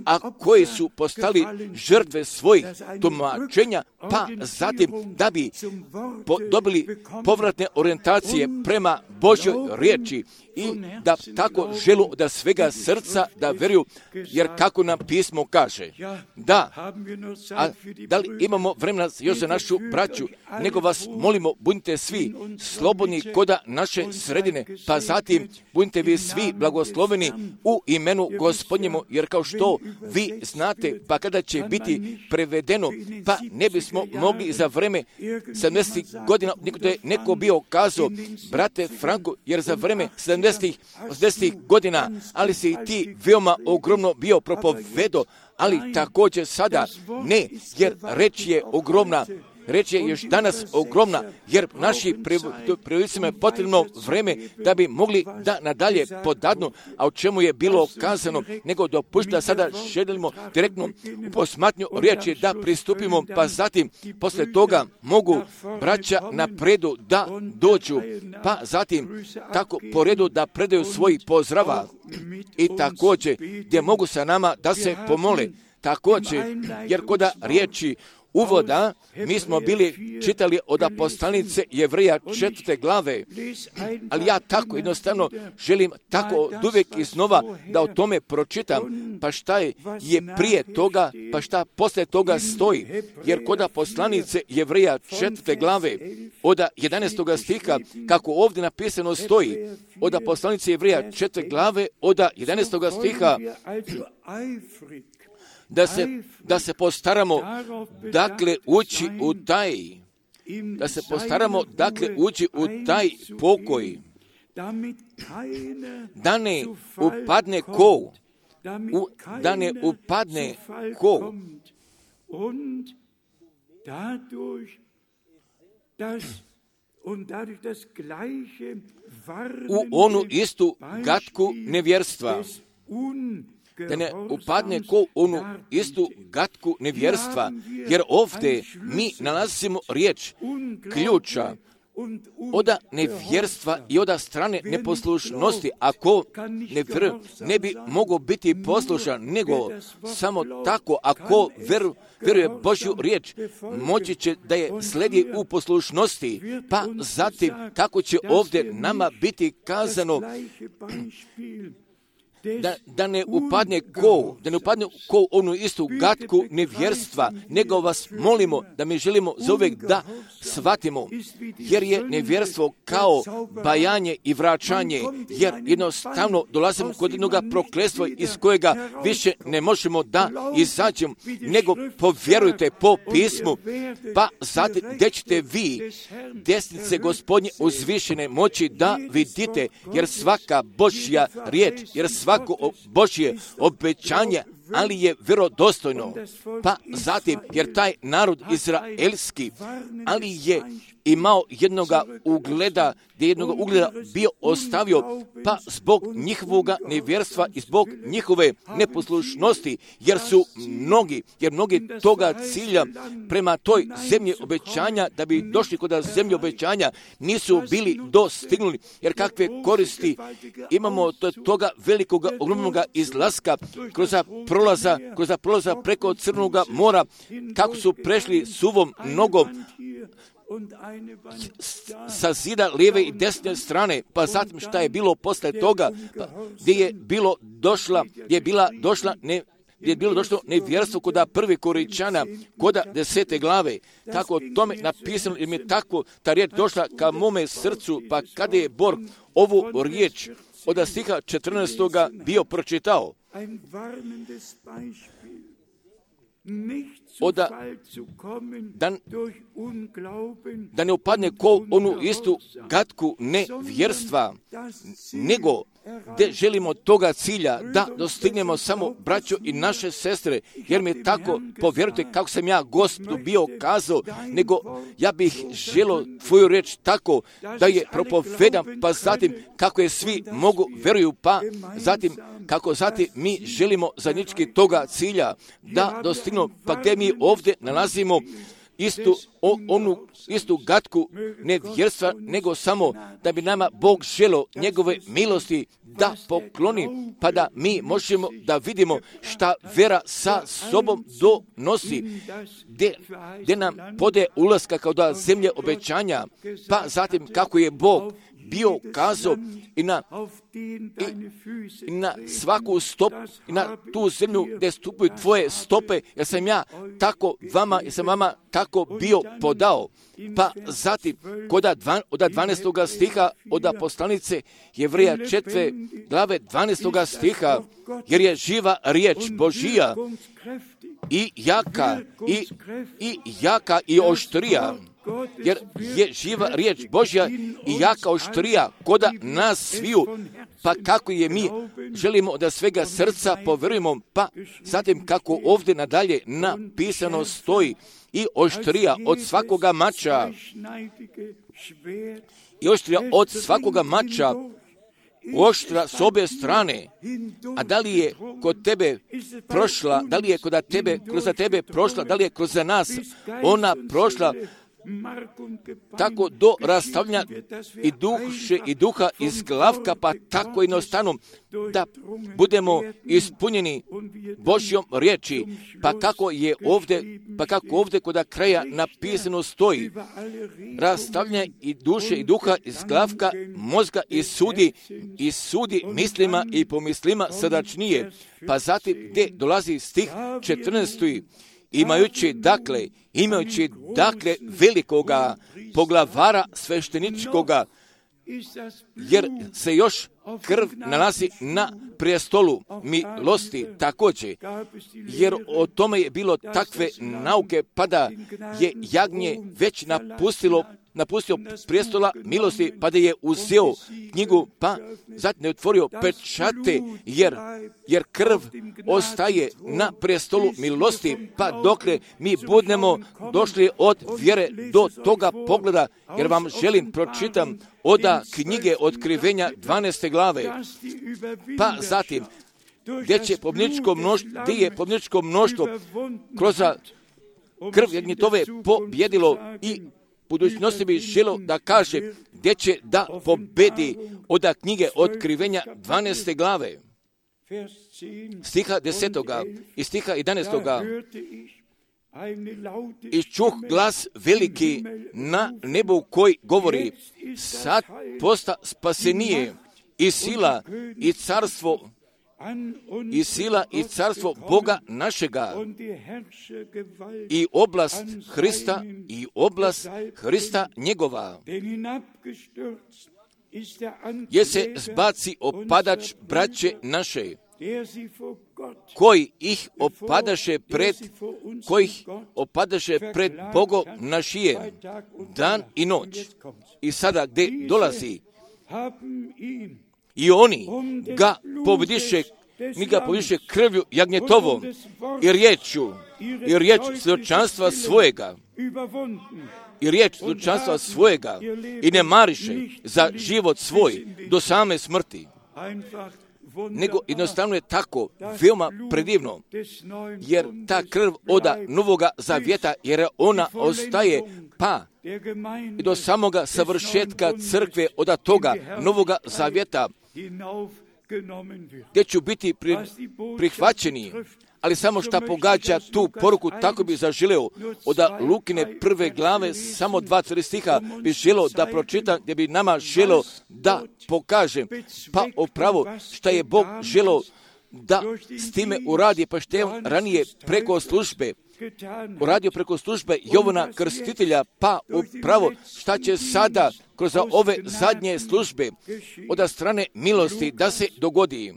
Speaker 1: a koji su postali žrtve svojih tumačenja, pa zatim da bi po, dobili povratne orijentacije prema Božjoj riječi i da tako želu da svega srca da veruju, jer kako nam pismo kaže, da, a da li imamo vremena još za našu braću, nego vas molimo, budite svi slobodni koda naše sredine, pa zatim budite vi svi blagosloveni u imenu Gospodnjemu, jer kao što vi znate, pa kada će biti prevedeno, pa ne bismo mogli za vreme sedamdesetih godina, niko je neko bio kazao, brate Franko, jer za vreme sedamdesetih, osamdesetih godina, ali si i ti veoma ogromno bio propovedo, ali također sada ne, jer reč je ogromna, reč je još danas ogromna, jer naši prevodicima je potrebno vreme da bi mogli da nadalje podadnu, a o čemu je bilo kazano, nego dopušta sada želimo direktno u posmatnju riječi da pristupimo, pa zatim posle toga mogu braća na predu da dođu, pa zatim tako po redu da predaju svoj pozdrava i također gdje mogu sa nama da se pomole. Također, jer koda riječi uvoda, mi smo bili čitali od poslanice Jevreja četvrte glave, ali ja tako jednostavno želim tako od uvijek iznova da o tome pročitam, pa šta je, je prije toga, pa šta posle toga stoji, jer koda poslanice Jevreja četvrte glave, od jedanaestog stiha, kako ovdje napisano stoji, od poslanice Jevreja četvrte glave, od jedanaestog stiha, da se, da se postaramo, dakle, ući u taj, da se postaramo, dakle, ući u taj pokoj, da ne upadne ko, u, da ne upadne ko, u onu istu gatku nevjerstva, da ne upadne ko onu istu gatku nevjerstva, jer ovdje mi nalazimo riječ ključa oda nevjerstva i oda strane neposlušnosti. Ako ne, vr, ne bi mogao biti poslušan, nego samo tako, ako veru, vjeruje Božju riječ, moći će da je sledi u poslušnosti, pa zatim kako će ovdje nama biti kazano Da, da ne upadne ko, da ne upadne ko onu istu gatku nevjerstva, nego vas molimo da mi želimo za uvijek da shvatimo, jer je nevjerstvo kao bajanje i vraćanje, jer jednostavno dolazimo kod jednog prokletstva iz kojega više ne možemo da izađemo, nego povjerujte po pismu, pa zatim gdje ćete vi desnice Gospodnje uzvišene moći da vidite, jer svaka Božja riječ, jer svaka svako Božje obećanje, ali je vjerodostojno. Pa zatim, jer taj narod izraelski, ali je imao jednoga ugleda, gdje jednoga ugleda bio ostavio, pa zbog njihovoga nevjerstva i zbog njihove neposlušnosti, jer su mnogi, jer mnogi toga cilja prema toj zemlji obećanja, da bi došli kod zemlje obećanja, nisu bili dostignuli, jer kakve koristi imamo od toga velikoga, ogromnoga izlaska kroz prolaza, kroz prolaza preko Crnoga mora, kako su prešli suvom nogom sa zida lijeve i desne strane, pa zatim šta je bilo posle toga, pa, gdje je bilo došla, gdje je bila došla ne, gdje je bilo došlo nevjerstvo koda prvi Koričana, koda desete glave. Tako o tome napisano, jer mi je tako ta riječ došla ka mome srcu, pa kada je Bor ovu riječ od stiha četrnaestoga bio pročitao. oda, da, da ne upadne ko onu istu gatku nevjerstva, nego gdje želimo toga cilja da dostignemo samo braćo i naše sestre, jer mi je tako, povjerujte kako sam ja Gospodu bio kazao, nego ja bih želio tvoju reč tako da je propovedam, pa zatim kako je svi mogu, veruju, pa zatim kako zatim mi želimo zajednički toga cilja da dostignemo, pa gdje mi ovdje nalazimo istu, o, onu istu gatku nevjerstva, nego samo da bi nama Bog želio njegove milosti da pokloni, pa da mi možemo da vidimo šta vera sa sobom donosi, gdje, gdje nam pode ulaska kao da zemlje obećanja, pa zatim kako je Bog bio kazao i na, i, i na svaku stop, i na tu zemlju gdje stupaju tvoje stope, jer sam ja tako vama, jer sam vama tako bio podao. Pa zatim, od dvanaestoga stiha od poslanice Jevreja četvrte glave dvanaestoga stiha, jer je živa riječ Božija i jaka i, i jaka i oštrija, jer je živa riječ Božja i jaka oštrija koda nas sviju, pa kako je mi želimo da svega srca povjerujemo, pa zatim kako ovdje nadalje napisano stoji, i oštrija od svakoga mača, i oštrija od svakoga mača, oštra s obje strane. A da li je kod tebe prošla, da li je kod tebe, kroz tebe prošla, da li je kroz nas ona prošla, tako do rastavljanja i duše i duha iz glavka, pa tako jednostavno da budemo ispunjeni Božjom riječi, pa kako je ovdje, pa kako ovdje kod kraja napisano stoji, rastavljanja i duše i duha iz glavka, mozga i sudi, i sudi mislima i pomislima srdačnije. Pa zatim gdje dolazi stih četrnaesti, imajući dakle, imajući dakle velikoga poglavara svešteničkoga, jer se još krv nalazi na prijestolu milosti također, jer o tome je bilo takve nauke, pa da je jagnje već napustilo napustio prijestola milosti, pa da je uzeo knjigu, pa zatim je otvorio pečate, jer, jer krv ostaje na prijestolu milosti, pa dokle mi budemo došli od vjere do toga pogleda, jer vam želim pročitam oda knjige Otkrivenja dvanaeste glave, pa zatim gdje će pobjedničko mnoštvo, gdje je pobjedničko mnoštvo kroz krv jagnjetove pobjedilo, i budućnosti bi želo da kaže gdje će da pobedi od knjige Otkrivenja dvanaeste glave, stiha desetoga i stiha jedanaestoga. I čuh glas veliki na nebu koji govori, sad posta spasenije i sila i carstvo i sila i carstvo Boga našega i oblast Hrista i oblast Hrista njegova. Je se zbaci opadač braće naše, koji ih opadaše pred, kojih opadaše pred Bogom našije, dan i noć. I sada gdje dolazi, i oni ga pobjediše, mi ga pobjediše krvlju jagnjetovom i riječju, i riječ svjedočanstva svojega, i riječ svjedočanstva svojega, i ne mariše za život svoj do same smrti. Nego jednostavno je tako veoma predivno, jer ta krv oda Novoga Zavjeta, jer ona ostaje pa i do samoga savršetka crkve oda toga Novoga Zavjeta, gdje ću biti pri, prihvaćeni. Ali samo šta pogađa tu poruku, tako bi zaželeo od Lukine prve glave, samo dva tri stiha bi želeo da pročitam, gdje bi nama želeo da pokažem, pa upravo šta je Bog želeo da s time uradi, pa što je on ranije preko službe, uradio preko službe Jovana Krstitelja, pa upravo šta će sada kroz ove zadnje službe od strane milosti da se dogodi.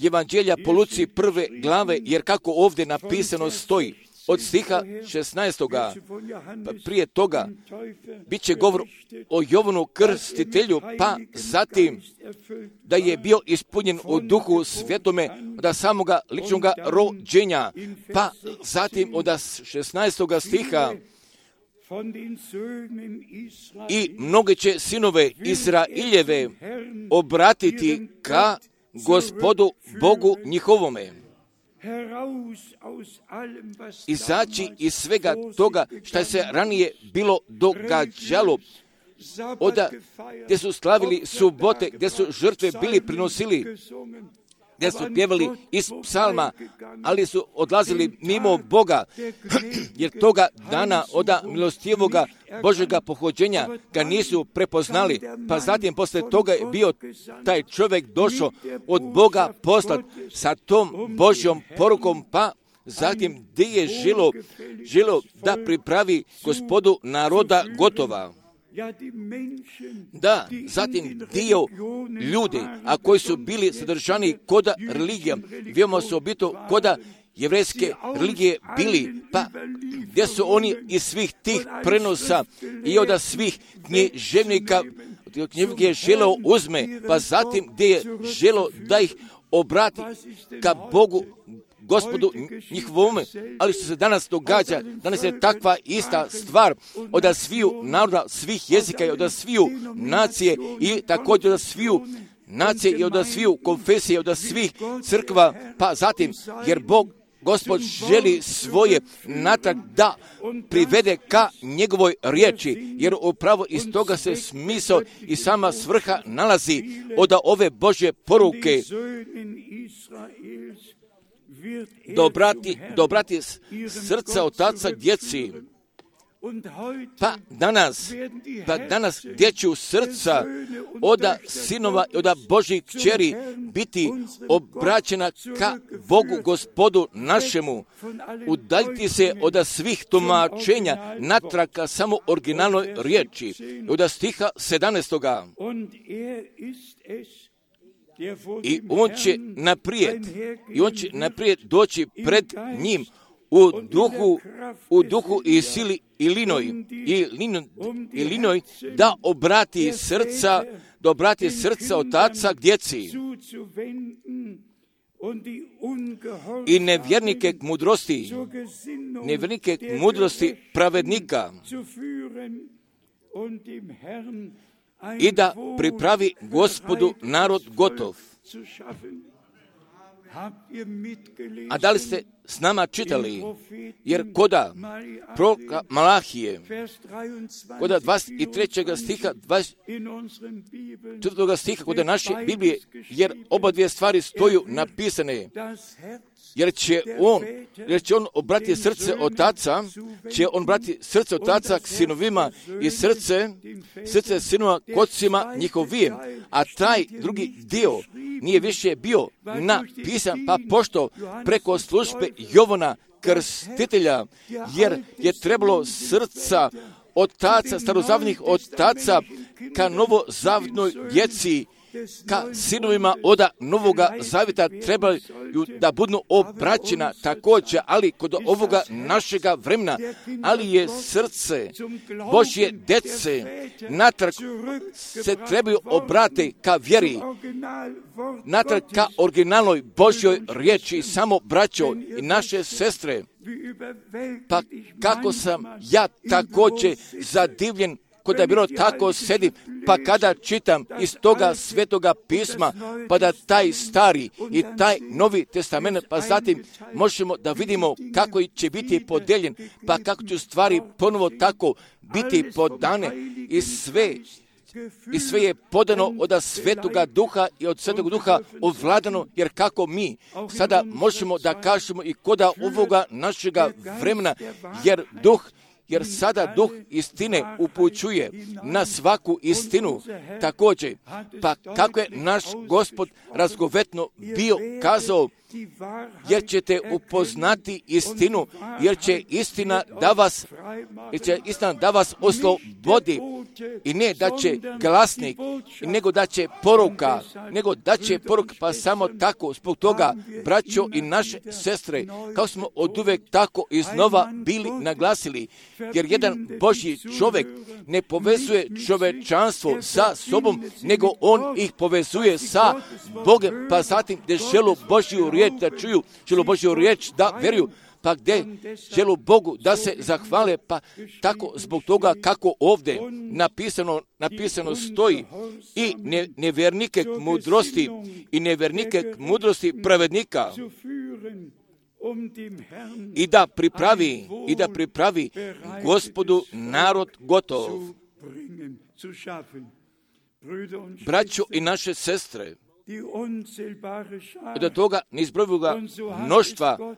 Speaker 1: Evanđelja po Luci prve glave, jer kako ovdje napisano stoji, od stiha šesnaestoga, pa prije toga bit će govor o Jovanu Krstitelju, pa zatim da je bio ispunjen u duhu svjetome od samoga ličnog rođenja, pa zatim od šesnaestoga stiha i mnoge će sinove Izraeljeve obratiti ka Gospodu Bogu njihovome. Izaći iz svega toga što se ranije bilo događalo, oda gdje su slavili subote, gdje su žrtve bili prinosili, gdje su pjevali iz psalma, ali su odlazili mimo Boga, jer toga dana oda milostivoga Božega pohođenja ga nisu prepoznali, pa zatim posle toga je bio taj čovjek došao od Boga poslat sa tom Božjom porukom, pa zatim gdje je žilo, žilo da pripravi Gospodu naroda gotova. Da, zatim dio ljudi, a koji su bili sadržani koda religija, vijemo su obito koda jevrejske religije bili, pa gdje su oni iz svih tih prenosa i od svih književnika knjige želo uzme, pa zatim gdje je želo da ih obrati ka Bogu, Gospodu njihovome, ali što se danas događa, danas je takva ista stvar od sviju naroda, svih jezika i od sviju nacije i također od sviju nacije i od sviju konfesije, od svih crkva, pa zatim, jer Bog, Gospod želi svoje natrag da privede ka njegovoj riječi, jer upravo iz toga se smisao i sama svrha nalazi od ove Božje poruke. Dobrati, dobrati srca otaca djeci. Pa danas, pa danas dječju srca oda sinova i oda Božjih kćeri biti obraćena ka Bogu Gospodu našemu. Udaljiti se od svih tumačenja natrag ka samo originalnoj riječi. Od stiha sedamnaestoga. I on će naprijed, i on će naprijed doći pred njim u duhu, u duhu i sili i linoj, i linoj, i linoj da obrati srca, da obrati srca otaca k djeci i nevjernike k mudrosti, nevjernike k mudrosti pravednika, i da pripravi Gospodu narod gotov. A da li ste s nama čitali? Jer koda proroka Malahije, koda dvadeset trećeg stiha, dvadeset četvrtog stiha, koda naše Biblije, jer oba dvije stvari stoju napisane, jer će on, jer će on obrati srce otaca, će on obrati srce otaca k sinovima i srce, srce sinova k ocima njihovim, a taj drugi dio nije više bio napisan, pa pošto preko službe Jovana Krstitelja, jer je trebalo srca otaca, starozavnih otaca ka novozavnoj djeci, ka sinovima oda Novoga Zavjeta trebaju da budu obraćena također, ali kod ovoga našega vremena, ali je srce Božje djece natrag se trebaju obrati ka vjeri, natrag ka originalnoj Božjoj riječi. Samo braćo i naše sestre, pa kako sam ja također zadivljen kod da bilo tako sedim, pa kada čitam iz toga svetoga pisma, pa da taj stari i taj novi testament, pa zatim možemo da vidimo kako će biti podeljen, pa kako će stvari ponovo tako biti podane i sve, i sve je podano od svetoga duha i od svetog duha ovladano, jer kako mi sada možemo da kažemo i koda ovoga našega vremena, jer duh jer sada duh istine upućuje na svaku istinu također. Pa kako je naš Gospod razgovetno bio kazao, jer ćete upoznati istinu, jer će istina da vas, jer će istina da vas oslobodi, i ne da će glasnik, nego da će poruka, nego da će poruka, pa samo tako, zbog toga, braćo i naše sestre, kao smo oduvek tako iznova bili naglasili, jer jedan Božji čovjek ne povezuje čovečanstvo sa sobom, nego on ih povezuje sa Bogom, pa zatim gdje želu Božju riječ da čuju, želu Božju riječ da vjeruju, pa gdje želu Bogu da se zahvale, pa tako zbog toga kako ovdje napisano, napisano stoji, i ne, nevjernike k mudrosti i nevjernike k mudrosti pravednika, i da pripravi, i da pripravi Gospodu narod gotov. Braćo i naše sestre, od toga neizbrojivoga mnoštva,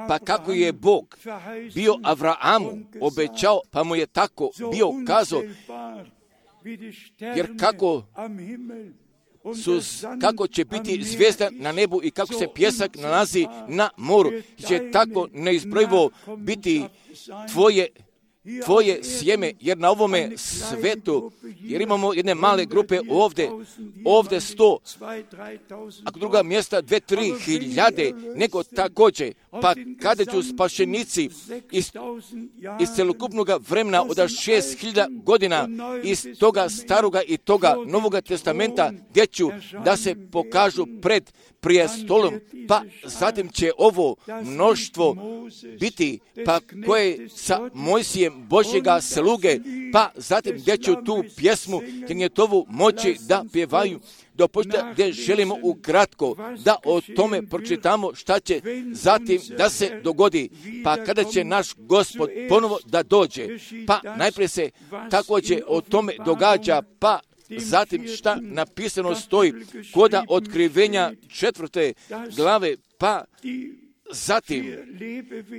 Speaker 1: pa kako je Bog bio Avrahamu obećao, pa mu je tako bio kazao, jer kako su, kako će biti zvijezda na nebu i kako se pjesak nalazi na moru, će tako neizbrojivo biti tvoje tvoje sjeme, jer na ovome svetu, jer imamo jedne male grupe ovdje, ovdje sto, a druga mjesta dve, tri hiljade, nego također, pa kada ću spašenici iz, iz celokupnog vremena od šest hiljada godina, iz toga staroga i toga Novoga testamenta, gdje ću da se pokažu pred prijestolom, pa zatim će ovo mnoštvo biti, pa koje sa Mojsijem Božjega sluge, pa zatim gdje ću tu pjesmu Knjetovu moći da pjevaju, dopustite gdje želimo ukratko da o tome pročitamo šta će zatim da se dogodi, pa kada će naš Gospod ponovo da dođe, pa najprije se također o tome događa, pa zatim šta napisano stoji koda otkrivenja četvrte glave, pa zatim,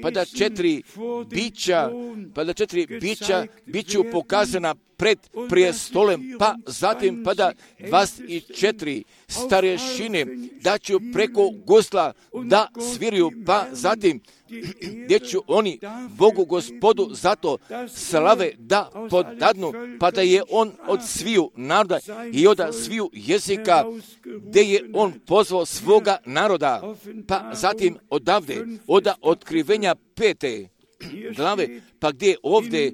Speaker 1: pa da četiri bića, pa da četiri bića biću pokazana pred prijestolem, pa zatim, pa da dvadeset četiri starješine da ću preko gusla da sviraju, pa zatim gdje ću oni Bogu Gospodu zato slave da podadnu, pa da je on od sviju naroda i od sviju jezika, gdje je on pozvao svoga naroda, pa zatim odavde, od otkrivenja pete glave, pa gdje ovdje,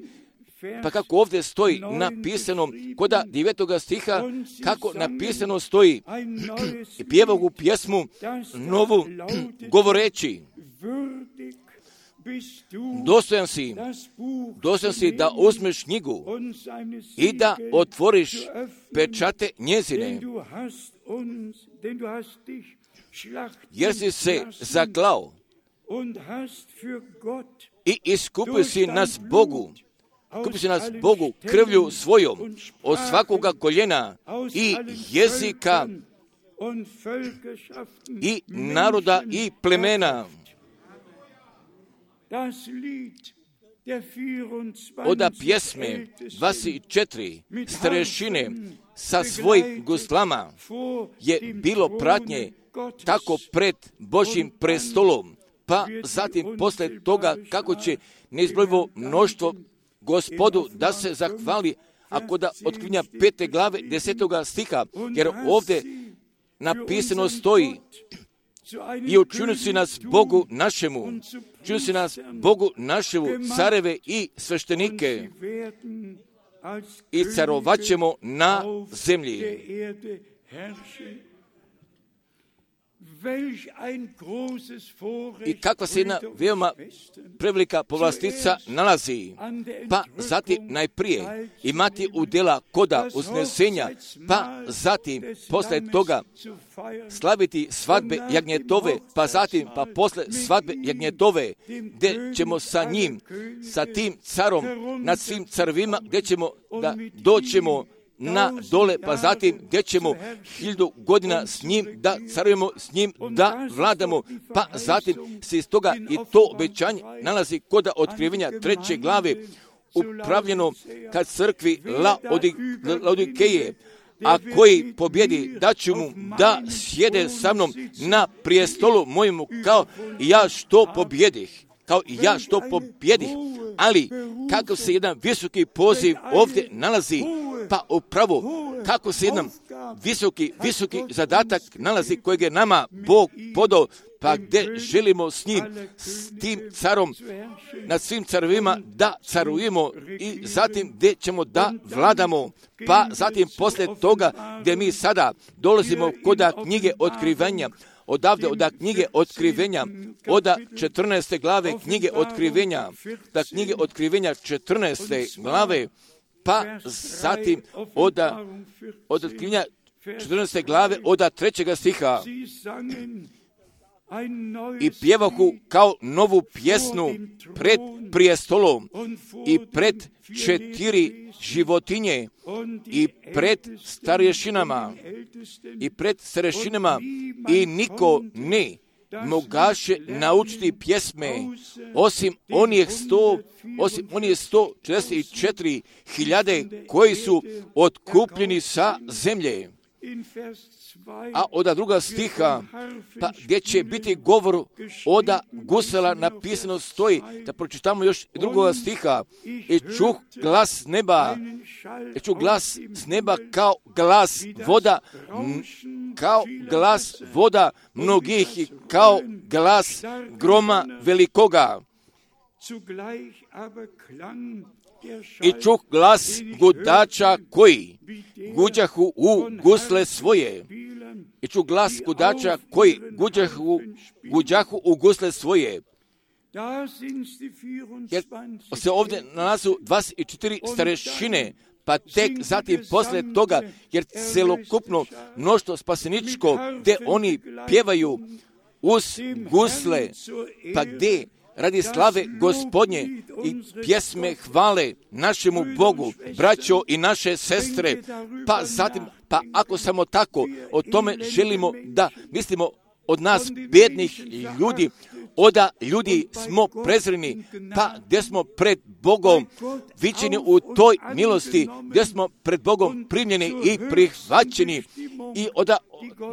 Speaker 1: pa kako ovdje stoji napisano, koda devetoga stiha, kako napisano stoji, i pjeva u pjesmu novu, govoreći, dostojan si, dostojan si da uzmeš knjigu i da otvoriš pečate njezine, jer si se zaklao i iskupio si nas Bogu, kupio si nas Bogu krvlju svojom od svakoga koljena i jezika i naroda i plemena. Oda pjesme dvadeset četiri starješine sa svojim guslama je bilo pratnje tako pred Božjim prestolom, pa zatim posle toga kako će neizbrojivo mnoštvo Gospodu da se zahvali, ako da otkrivenja pete glave desetoga stiha, jer ovdje napisano stoji, i učinio si nas Bogu našemu, učinio si nas Bogu našemu, careve i sveštenike, i carovat ćemo na zemlji. I kakva se jedna veoma prevelika povlastica nalazi, pa zatim najprije imati udjela koda uznesenja, pa zatim posle toga slaviti svadbe jagnjetove, pa zatim pa posle svadbe jagnjetove, gdje ćemo sa njim, sa tim carom nad svim carvima, gdje ćemo da doćemo na dole, pa zatim gdje ćemo hiljadu godina s njim da carujemo, s njim da vladamo, pa zatim se iz toga i to obećanje nalazi kod otkrivenja treće glave upravljeno kad crkvi Laodikeje, a koji pobjedi, da ću mu da sjede sa mnom na prijestolu mojemu kao i ja što pobjedih. Kao i ja što pobjedih. Ali kako se jedan visoki poziv ovdje nalazi, pa upravo kako se jedan visoki, visoki zadatak nalazi kojeg je nama Bog podao, pa gdje želimo s njim, s tim carom, nad svim carovima da carujemo i zatim gdje ćemo da vladamo, pa zatim poslije toga gdje mi sada dolazimo kod knjige otkrivenja, odavde od knjige otkrivenja, od četrnaeste glave knjige otkrivenja, da knjige otkrivenja četrnaeste glave, pa zatim od, od otkrivenja četrnaeste glave od trećega stiha. I pjevahu kao novu pjesnu pred prijestolom i pred četiri životinje i pred starješinama i pred starješinama i niko ne mogaše naučiti pjesme osim onih sto, osim onih sto četrdeset četiri hiljade koji su otkupljeni sa zemlje. A od druga stiha, pa gdje će biti govor od gusela napisano stoji, da pročitamo još drugoga stiha, i čuh glas neba, i čuh glas s neba kao glas voda, kao glas voda mnogih i kao glas groma velikoga. I čuh glas gudača koji guđahu u gusle svoje. I čuh glas gudača koji guđahu, guđahu u gusle svoje. Jer se ovdje nalazu dvadeset četiri starešine, pa tek zatim poslije toga, jer celokupno mnoštvo spaseničko, gdje oni pjevaju uz gusle, pa gdje radi slave Gospodnje i pjesme hvale našemu Bogu, braćo i naše sestre, pa zatim, pa ako samo tako o tome želimo da mislimo od nas bednih ljudi, oda ljudi smo prezreni, pa gdje smo pred Bogom viđeni u toj milosti, gdje smo pred Bogom primljeni i prihvaćeni i oda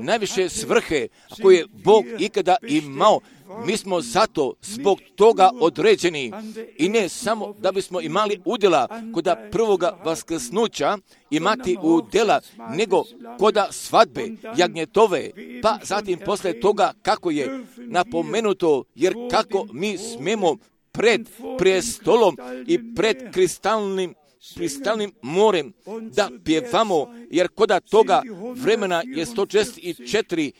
Speaker 1: najviše svrhe koje je Bog ikada imao, mi smo zato zbog toga određeni i ne samo da bismo imali udjela kod prvoga vaskrsnuća imati udjela, nego kod svadbe jagnjetove, pa zatim posle toga kako je napomenuto, jer kako mi smemo pred prijestolom i pred kristalnim kristalnim morem da pjevamo, jer koda toga vremena je sto četrdeset četiri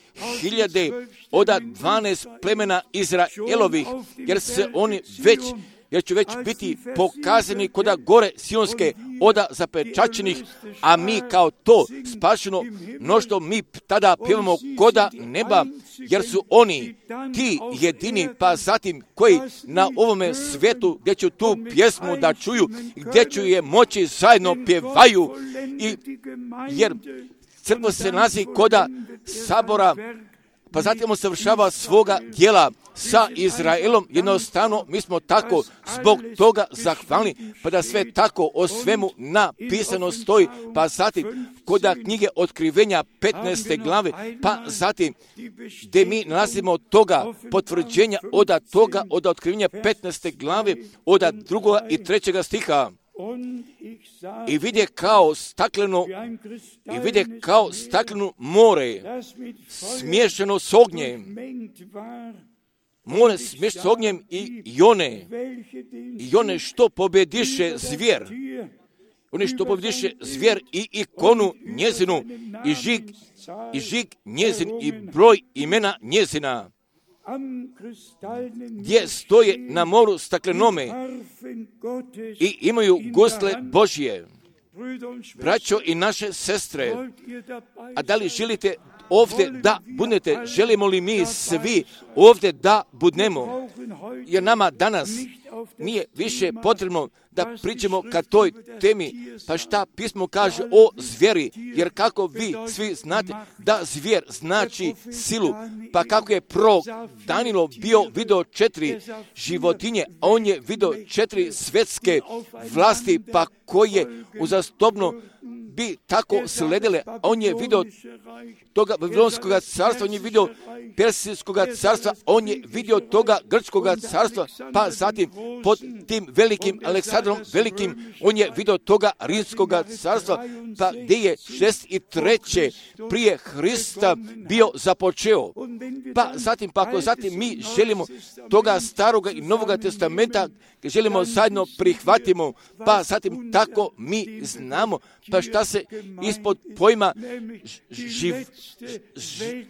Speaker 1: hiljade od dvanaest plemena Izraelovih, jer se oni već, jer će već biti pokazani koda gore sionske oda zapečaćenih, a mi kao to spašeno mnoštvo mi tada pjevamo koda neba, jer su oni ti jedini, pa zatim koji na ovome svijetu gdje ću tu pjesmu da čuju, gdje ću je moći zajedno pjevaju, i jer crkva se nalazi koda sabora, pa zatim on savršava svoga djela sa Izraelom. Jednostavno, mi smo tako zbog toga zahvalni, pa da sve tako o svemu napisano stoji, pa zatim koda knjige otkrivenja petnaeste glave, pa zatim gdje mi nalazimo toga potvrđenja od toga, od otkrivenja petnaeste glave, od drugoga i trećega stiha. I vidje kao stakleno, i vidje kao stakleno more, smiješano s ognjem, more smiješano s ognjem i jone, i jone što pobjediše zvjer, oni što pobjediše zvjer i ikonu njezinu, i žig, i žig njezin, i broj imena njezina, gdje stoje na moru staklenome i imaju gusle Božje. Braćo i naše sestre, a da li želite ovdje da budete, želimo li mi svi ovdje da budnemo, jer nama danas nije više potrebno da pričamo ka toj temi, pa šta pismo kaže o zvijeri, jer kako vi svi znate da zvijer znači silu, pa kako je prorok Danilo bio video četiri životinje, a on je video četiri svjetske vlasti, pa koje uzastopno bi tako sledile, a on je video toga Babilonskog carstva, on je vidio Persijskog carstva, on je vidio toga Grčkog carstva, pa zatim pod tim velikim Aleksandrom Velikim, on je vidio toga Rimskog carstva, pa gdje je šezdeset treće prije Hrista bio započeo. Pa zatim, pa ako zatim mi želimo toga Staroga i Novoga testamenta, želimo zajedno prihvatimo, pa zatim tako mi znamo, pa šta se ispod pojma živ, ž,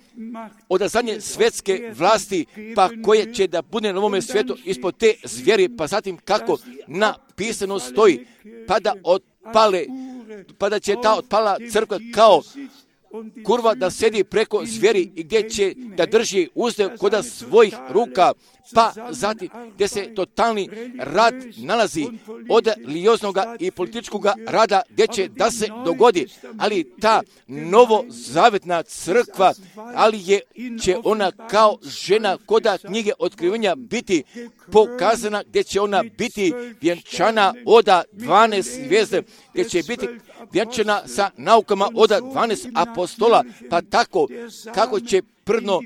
Speaker 1: od zadnje svjetske vlasti, pa koje će da bude na ovome svijetu ispod te zvijeri, pa zatim kako napisano stoji, pa da otpale, pa da će ta otpala crkva kao kurva da sedi preko zvijeri i gdje će da drži uzde koda svojih ruka, pa zatim gdje se totalni rad nalazi od religioznog i političkog rada gdje će da se dogodi, ali ta novozavjetna crkva, ali je, će ona kao žena koda knjige otkrivenja biti pokazana, gdje će ona biti vjenčana od dvanaest zvijezde, gdje će biti vjenčana sa naukama od dvanaest apostola, pa tako kako će prdno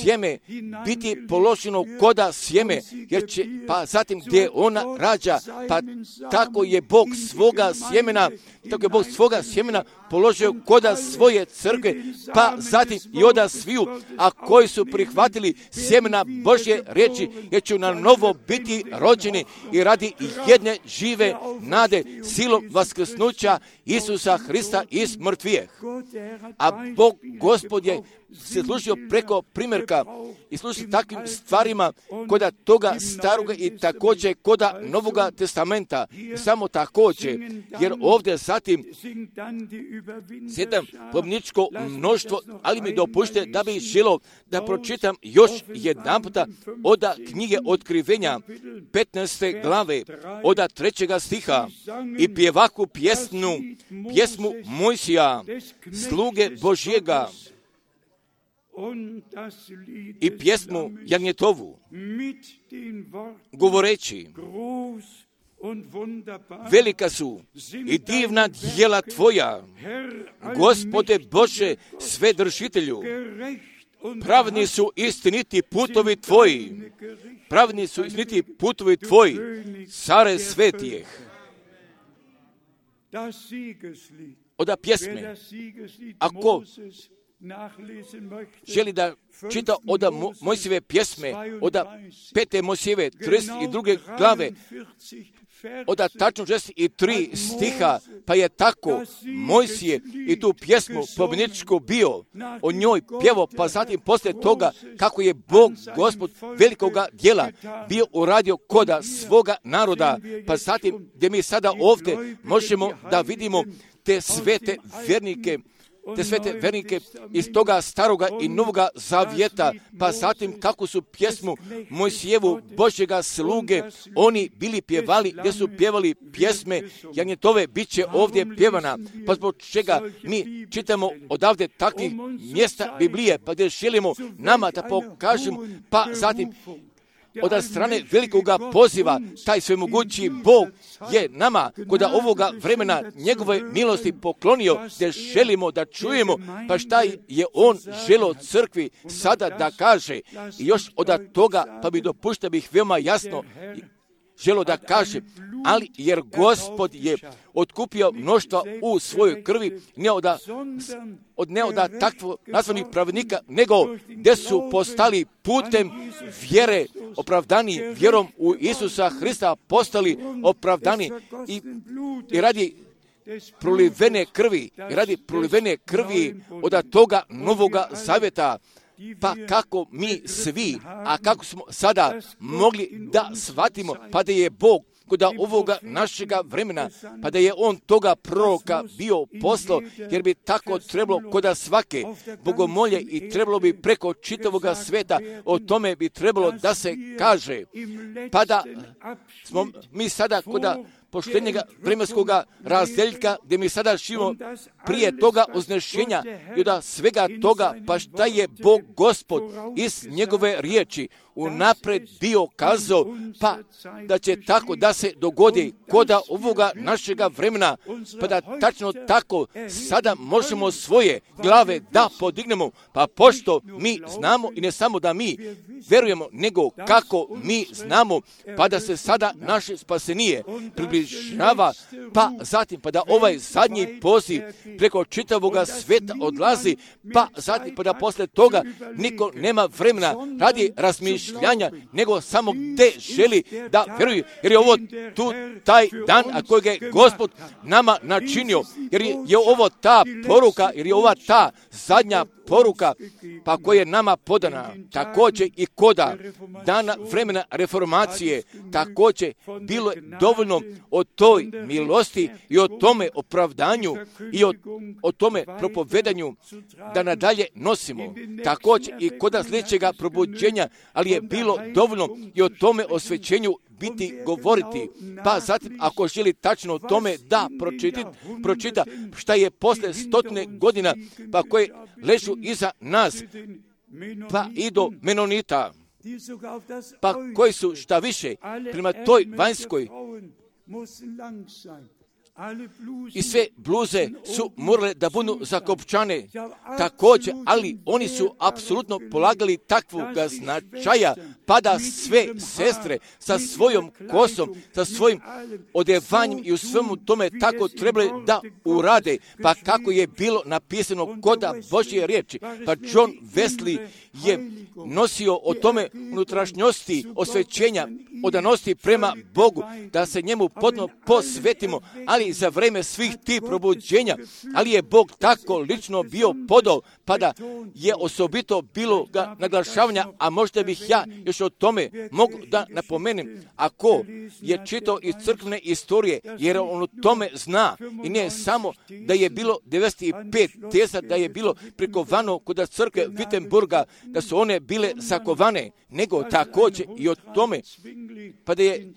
Speaker 1: sjeme biti položeno koda sjeme, jer će, pa zatim gdje ona rađa, pa tako je Bog svoga sjemena, tako je Bog svoga sjemena položio koda svoje crkve, pa zatim i oda sviju, a koji su prihvatili sjemena Božje riječi, jer će na novo biti rođeni i radi jedne žive nade silom vaskrsnuća Isusa Hrista iz mrtvijeh. A Bog Gospod je se služio preko primjerka i služi takvim stvarima koda toga staroga i također koda Novoga testamenta. I samo također, jer ovdje zatim sjedam pobjedničko mnoštvo, ali mi dopušte da bi želo da pročitam još jedan puta od knjige Otkrivenja petnaeste glave, od trećega stiha, i pjevaku pjesnu, pjesmu Mojsija, sluge Božjega, i pjesmu Jagnjetovu, govoreći: velika su i divna djela Tvoja, Gospode Bože Svedržitelju, pravni su istiniti putovi Tvoji, pravni su istiniti putovi Tvoji, care svetijeh. Oda pjesme, ako želi da čita od Mojsijeve pjesme, od pete Mojsijeve trideset druge glave, od tačno šezdeset tri stiha, pa je tako Mojsije i tu pjesmu pobjedničku bio, o njoj pjevo, pa zatim poslije toga kako je Bog Gospod velikoga djela bio uradio koda svoga naroda, pa zatim gdje mi sada ovdje možemo da vidimo te svete vjernike, te svete vernike iz toga staroga i novoga zavjeta, pa zatim kako su pjesmu Mojsijevu Božjega sluge oni bili pjevali, gdje su pjevali pjesme Jagnjetove, bit će ovdje pjevana, pa zbog čega mi čitamo odavde takvih mjesta Biblije, pa gdje želimo nama da pokažemo, pa zatim od strane velikoga poziva, taj svemogući Bog je nama kod ovoga vremena njegove milosti poklonio, gdje želimo da čujemo, pa šta je on želo crkvi sada da kaže. I još od toga, pa bi dopušta bih veoma jasno želo da kaže, ali jer Gospod je otkupio mnoštva u svojoj krvi, ne od, od ne od takvog nazvanih pravednika, nego gdje su postali putem vjere opravdani, vjerom u Isusa Hrista postali opravdani i, i radi prolivene krvi, i radi prolivene krvi od toga novoga zavjeta. Pa kako mi svi, a kako smo sada mogli da shvatimo, pa da je Bog kod ovoga našega vremena, pa da je on toga proroka bio poslao, jer bi tako trebalo kod svake bogomolje i trebalo bi preko čitavoga sveta, o tome bi trebalo da se kaže, pa da smo mi sada kod poštenjega vremenskoga razdeljka, gdje mi sada živimo prije toga uznešenja i od svega toga, pa šta je Bog Gospod iz njegove riječi unapred bio kazao, pa da će tako da se dogodi koda ovoga našega vremena, pa da tačno tako sada možemo svoje glave da podignemo, pa pošto mi znamo i ne samo da mi verujemo, nego kako mi znamo, pa da se sada naše spasenije približava, pa zatim pa da ovaj zadnji poziv preko čitavoga sveta odlazi, pa zatim pa da posle toga niko nema vremena radi razmišljanja, nego samo gde želi da veruje, jer je ovo tu taj dan, a kojeg je Gospod nama načinio, jer je ovo ta poruka, jer je ova ta zadnja poruka, pa koja je nama podana, također i koda dana vremena reformacije, također bilo je dovoljno o toj milosti i o tome opravdanju i o, o tome propovedanju da nadalje nosimo, također i koda sljedećega probuđenja, ali je bilo dovoljno i o tome osvećenju biti govoriti, pa zatim ako želi tačno o tome da pročita, pročita šta je posle stotine godina, pa koje ležu iza nas, pa i do Menonita, pa koji su šta više prema toj vanjskoj i sve bluze su morale da budu zakopčane također, ali oni su apsolutno polagali takvog značaja, pa da sve sestre sa svojom kosom, sa svojim odevanjem i u svemu tome tako trebali da urade, pa kako je bilo napisano koda Božje riječi, pa John Wesley je nosio o tome unutrašnjosti osvećenja, odanosti prema Bogu, da se njemu potpuno posvetimo, ali za vreme svih tih probuđenja, ali je Bog tako lično bio podao, pa da je osobito bilo ga naglašavanja, a možda bih ja još o tome mogu da napomenem, ako je čitao iz crkvene istorije, jer on o tome zna, i ne samo da je bilo devedeset pet teza da je bilo prikovano kod crkve Wittenburga, da su one bile zakovane, nego također i o tome, pa da je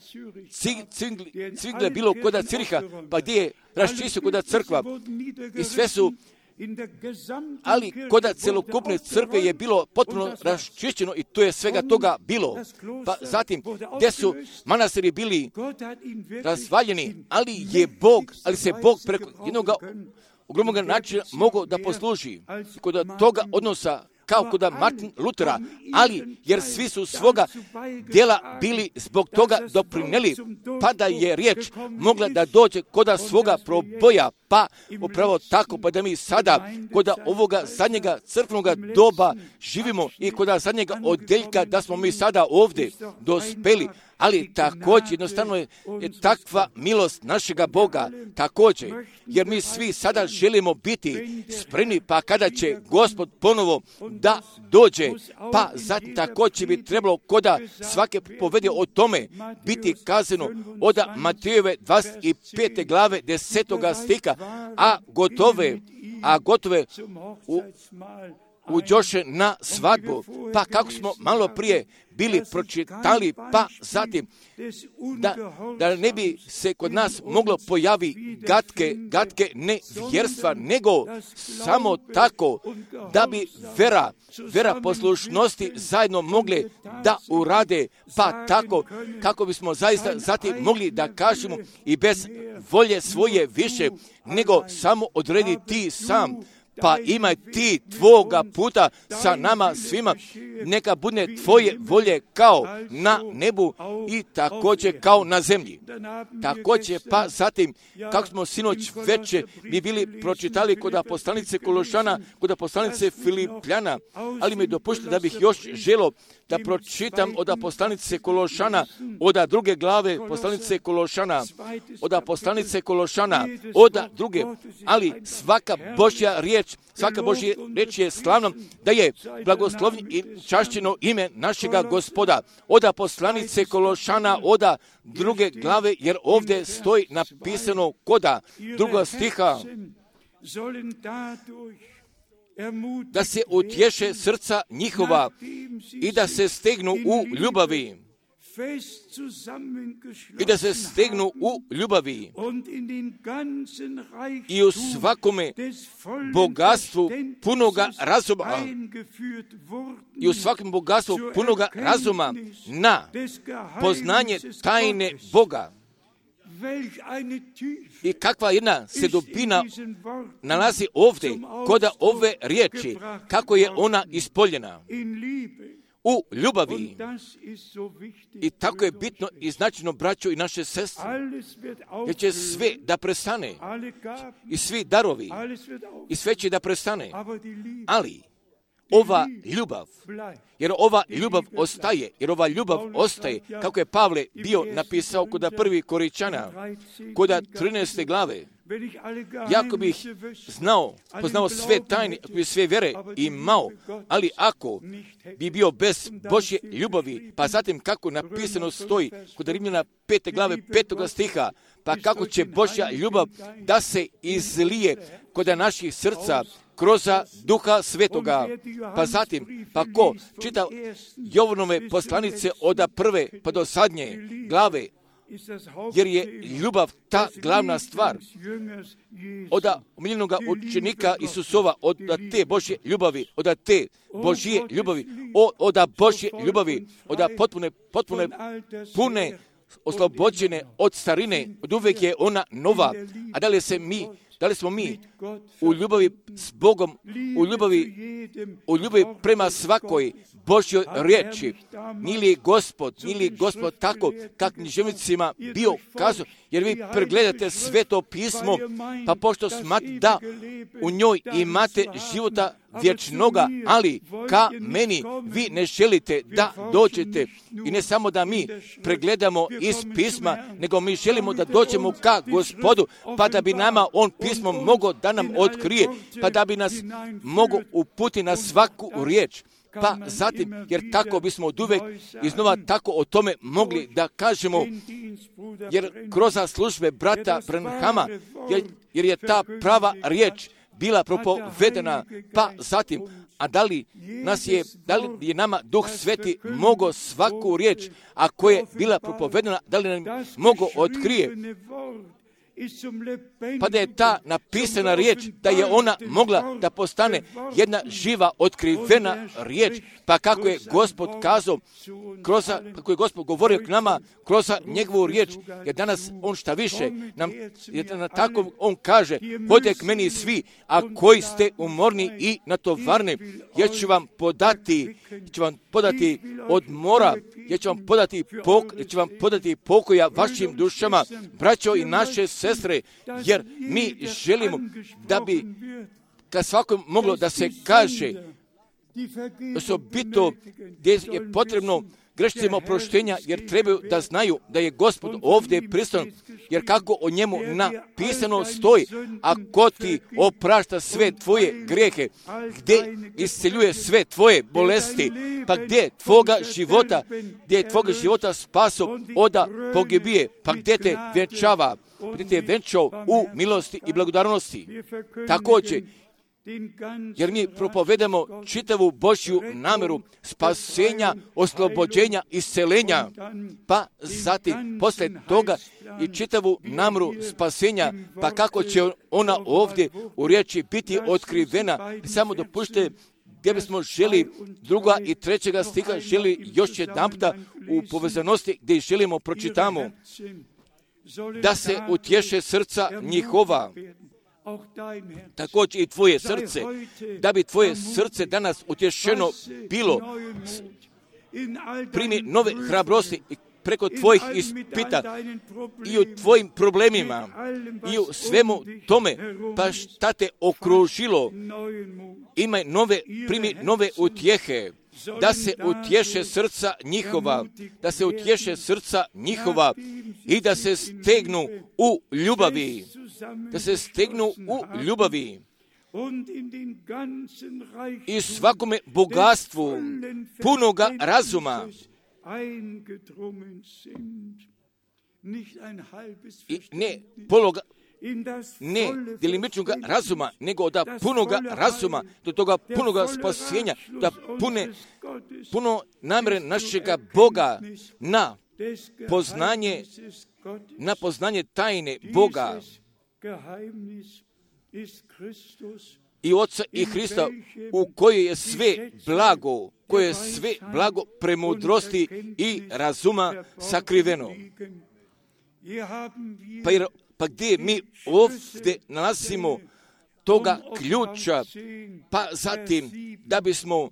Speaker 1: Cvigle bilo kod Ciriha, pa gdje je raščistio kod crkva i sve su, ali kod celokupne crkve je bilo potpuno raščišćeno i to je svega toga bilo. Pa zatim, gdje su manastiri bili razvaljeni, ali je Bog, ali se Bog preko jednog ogromnog načina mogao da posluži kod toga odnosa kao kod Martin Lutera, ali jer svi su svoga djela bili zbog toga doprineli, pa da je riječ mogla da dođe kod svoga proboja, pa upravo tako, pa da mi sada kod ovoga zadnjega crkvenog doba živimo i kod zadnjega odjeljka, da smo mi sada ovdje dospeli, ali također jednostavno je, je takva milost našega Boga, također, jer mi svi sada želimo biti spremni, pa kada će Gospod ponovo da dođe, pa zatim također bi trebalo koda svake povede o tome biti kazano od Matejove dvadeset pete glave desetoga stika, a gotove, a gotove u uđoše na svadbu, pa kako smo malo prije bili pročitali, pa zatim da, da ne bi se kod nas moglo pojavi gatke, gatke nevjerstva, nego samo tako da bi vera, vera poslušnosti zajedno mogli da urade, pa tako kako bismo zaista zatim mogli da kažemo i bez volje svoje više, nego samo odredi ti sam, pa imaj ti tvoga puta sa nama svima, neka bude tvoje volje kao na nebu i također kao na zemlji. Također, pa zatim, kako smo sinoć veče mi bili pročitali kod poslanice Kološana, kod poslanice Filipljana, ali mi dopušte da bih još želo da pročitam od poslanice Kološana, od druge glave poslanice Kološana, od poslanice Kološana, od druge, ali svaka Božja riječ riječ, svaka Božja riječ je slavna, da je blagoslovljeno i čašćeno ime našega Gospoda. Oda poslanice Kološana, oda druge glave, jer ovdje stoji napisano koda druga stiha, da se utješe srca njihova i da se stegnu u ljubavi. I da se stegnu u ljubavi i u svakome bogatstvu punoga razuma i u svakom bogatstvu punoga razuma na poznanje tajne Boga. I kakva jedna se dubina nalazi ovdje kod ove riječi, kako je ona ispoljena u ljubavi. I tako je bitno i značajno, braćo i naše sestre, jer će sve da prestane i svi darovi i sve će da prestane, ali ova ljubav, jer ova ljubav ostaje, jer ova ljubav ostaje, kako je Pavle bio napisao kod prvi Koričana, kod trinaeste glave. Jako bih znao, poznao sve tajne, ako bi sve vjere imao, ali ako bi bio bez Božje ljubavi, pa zatim kako napisano stoji kod Rimljana pete glave petoga stiha, pa kako će Božja ljubav da se izlije kod naših srca kroz Duha Svetoga. Pa zatim, pa ko čita Jovanove poslanice od prve pa do zadnje glave, jer je ljubav ta glavna stvar od omiljenog učenika Isusova, od te Božje ljubavi, od te Božje ljubavi, od Božje ljubavi, od potpune, potpune, pune, oslobođene od starine, od uvijek je ona nova. A da li se mi, da li smo mi u ljubavi s Bogom, u ljubavi, u ljubavi prema svakoj Božjoj riječi? Nije li Gospod, nije li Gospod tako kak književnicima bio kazao, jer vi pregledate Sveto pismo, pa pošto smatrate da u njoj imate života vječnoga, ali ka meni vi ne želite da dođete. I ne samo da mi pregledamo iz pisma, nego mi želimo da dođemo ka Gospodu, pa da bi nama on pismo mogao da nam otkrije, pa da bi nas mogao uputiti na svaku riječ. Pa zatim, jer tako bismo od uvek iznova tako o tome mogli da kažemo, jer kroz službe brata Branhama, jer, jer je ta prava riječ bila propovedena, pa zatim, a da li nas je, da li je nama Duh Sveti mogao svaku riječ, a koja je bila propovedena, da li nam mogao otkrije, pa da je ta napisana riječ, da je ona mogla da postane jedna živa, otkrivena riječ, pa kako je Gospod kazao, kroz, kako je Gospod govorio k nama kroz njegovu riječ, jer danas on šta više, nam, jer na tako on kaže, hodite k meni svi, a koji ste umorni i natovarni, jer ću vam podati, ću vam podati odmora, jer ću vam podati, pok, jer ću vam podati pokoja vašim dušama, braćo i naše sestre, jer mi želimo da bi kad svakom moglo da se kaže osobito gdje je potrebno grešnicima oproštenja, jer trebaju da znaju da je Gospod ovdje prisutan, jer kako o njemu napisano stoji, ako ti oprašta sve tvoje grijehe, gdje isceljuje sve tvoje bolesti, pa gdje tvoga života, gdje je tvoga života spaso oda pogibije, pa gdje te vjenčava, gdje te vjenčao u milosti i blagodarnosti. Također, jer mi propovedamo čitavu Božju namjeru spasenja, oslobođenja, iscelenja, pa zatim posle toga i čitavu namjeru spasenja, pa kako će ona ovdje u riječi biti otkrivena. Samo dopušte gdje bismo želi druga i trećega stiha, želi još jedan puta u povezanosti gdje želimo pročitamo, da se utješe srca njihova, također i tvoje srce, da bi tvoje srce danas utješeno bilo, primi nove hrabrosti i preko tvojih ispita i u tvojim problemima i u svemu tome, pa šta te okružilo, imaj nove, primi nove utjehe, da se utješe srca njihova, da se utješe srca njihova i da se stegnu u ljubavi, da se stegnu u ljubavi. i svakome bogatstvu punoga razuma i ne pologa, ne delimičnoga razuma, nego da punoga razuma, do toga punoga spasenja, da pune, puno namjere našega Boga na poznanje, na poznanje tajne Boga i Oca i Hrista, u kojoj je sve blago, koje je sve blago premudrosti i razuma sakriveno. Pa, jer, pa gdje mi ovdje nalazimo toga ključa, pa zatim da bismo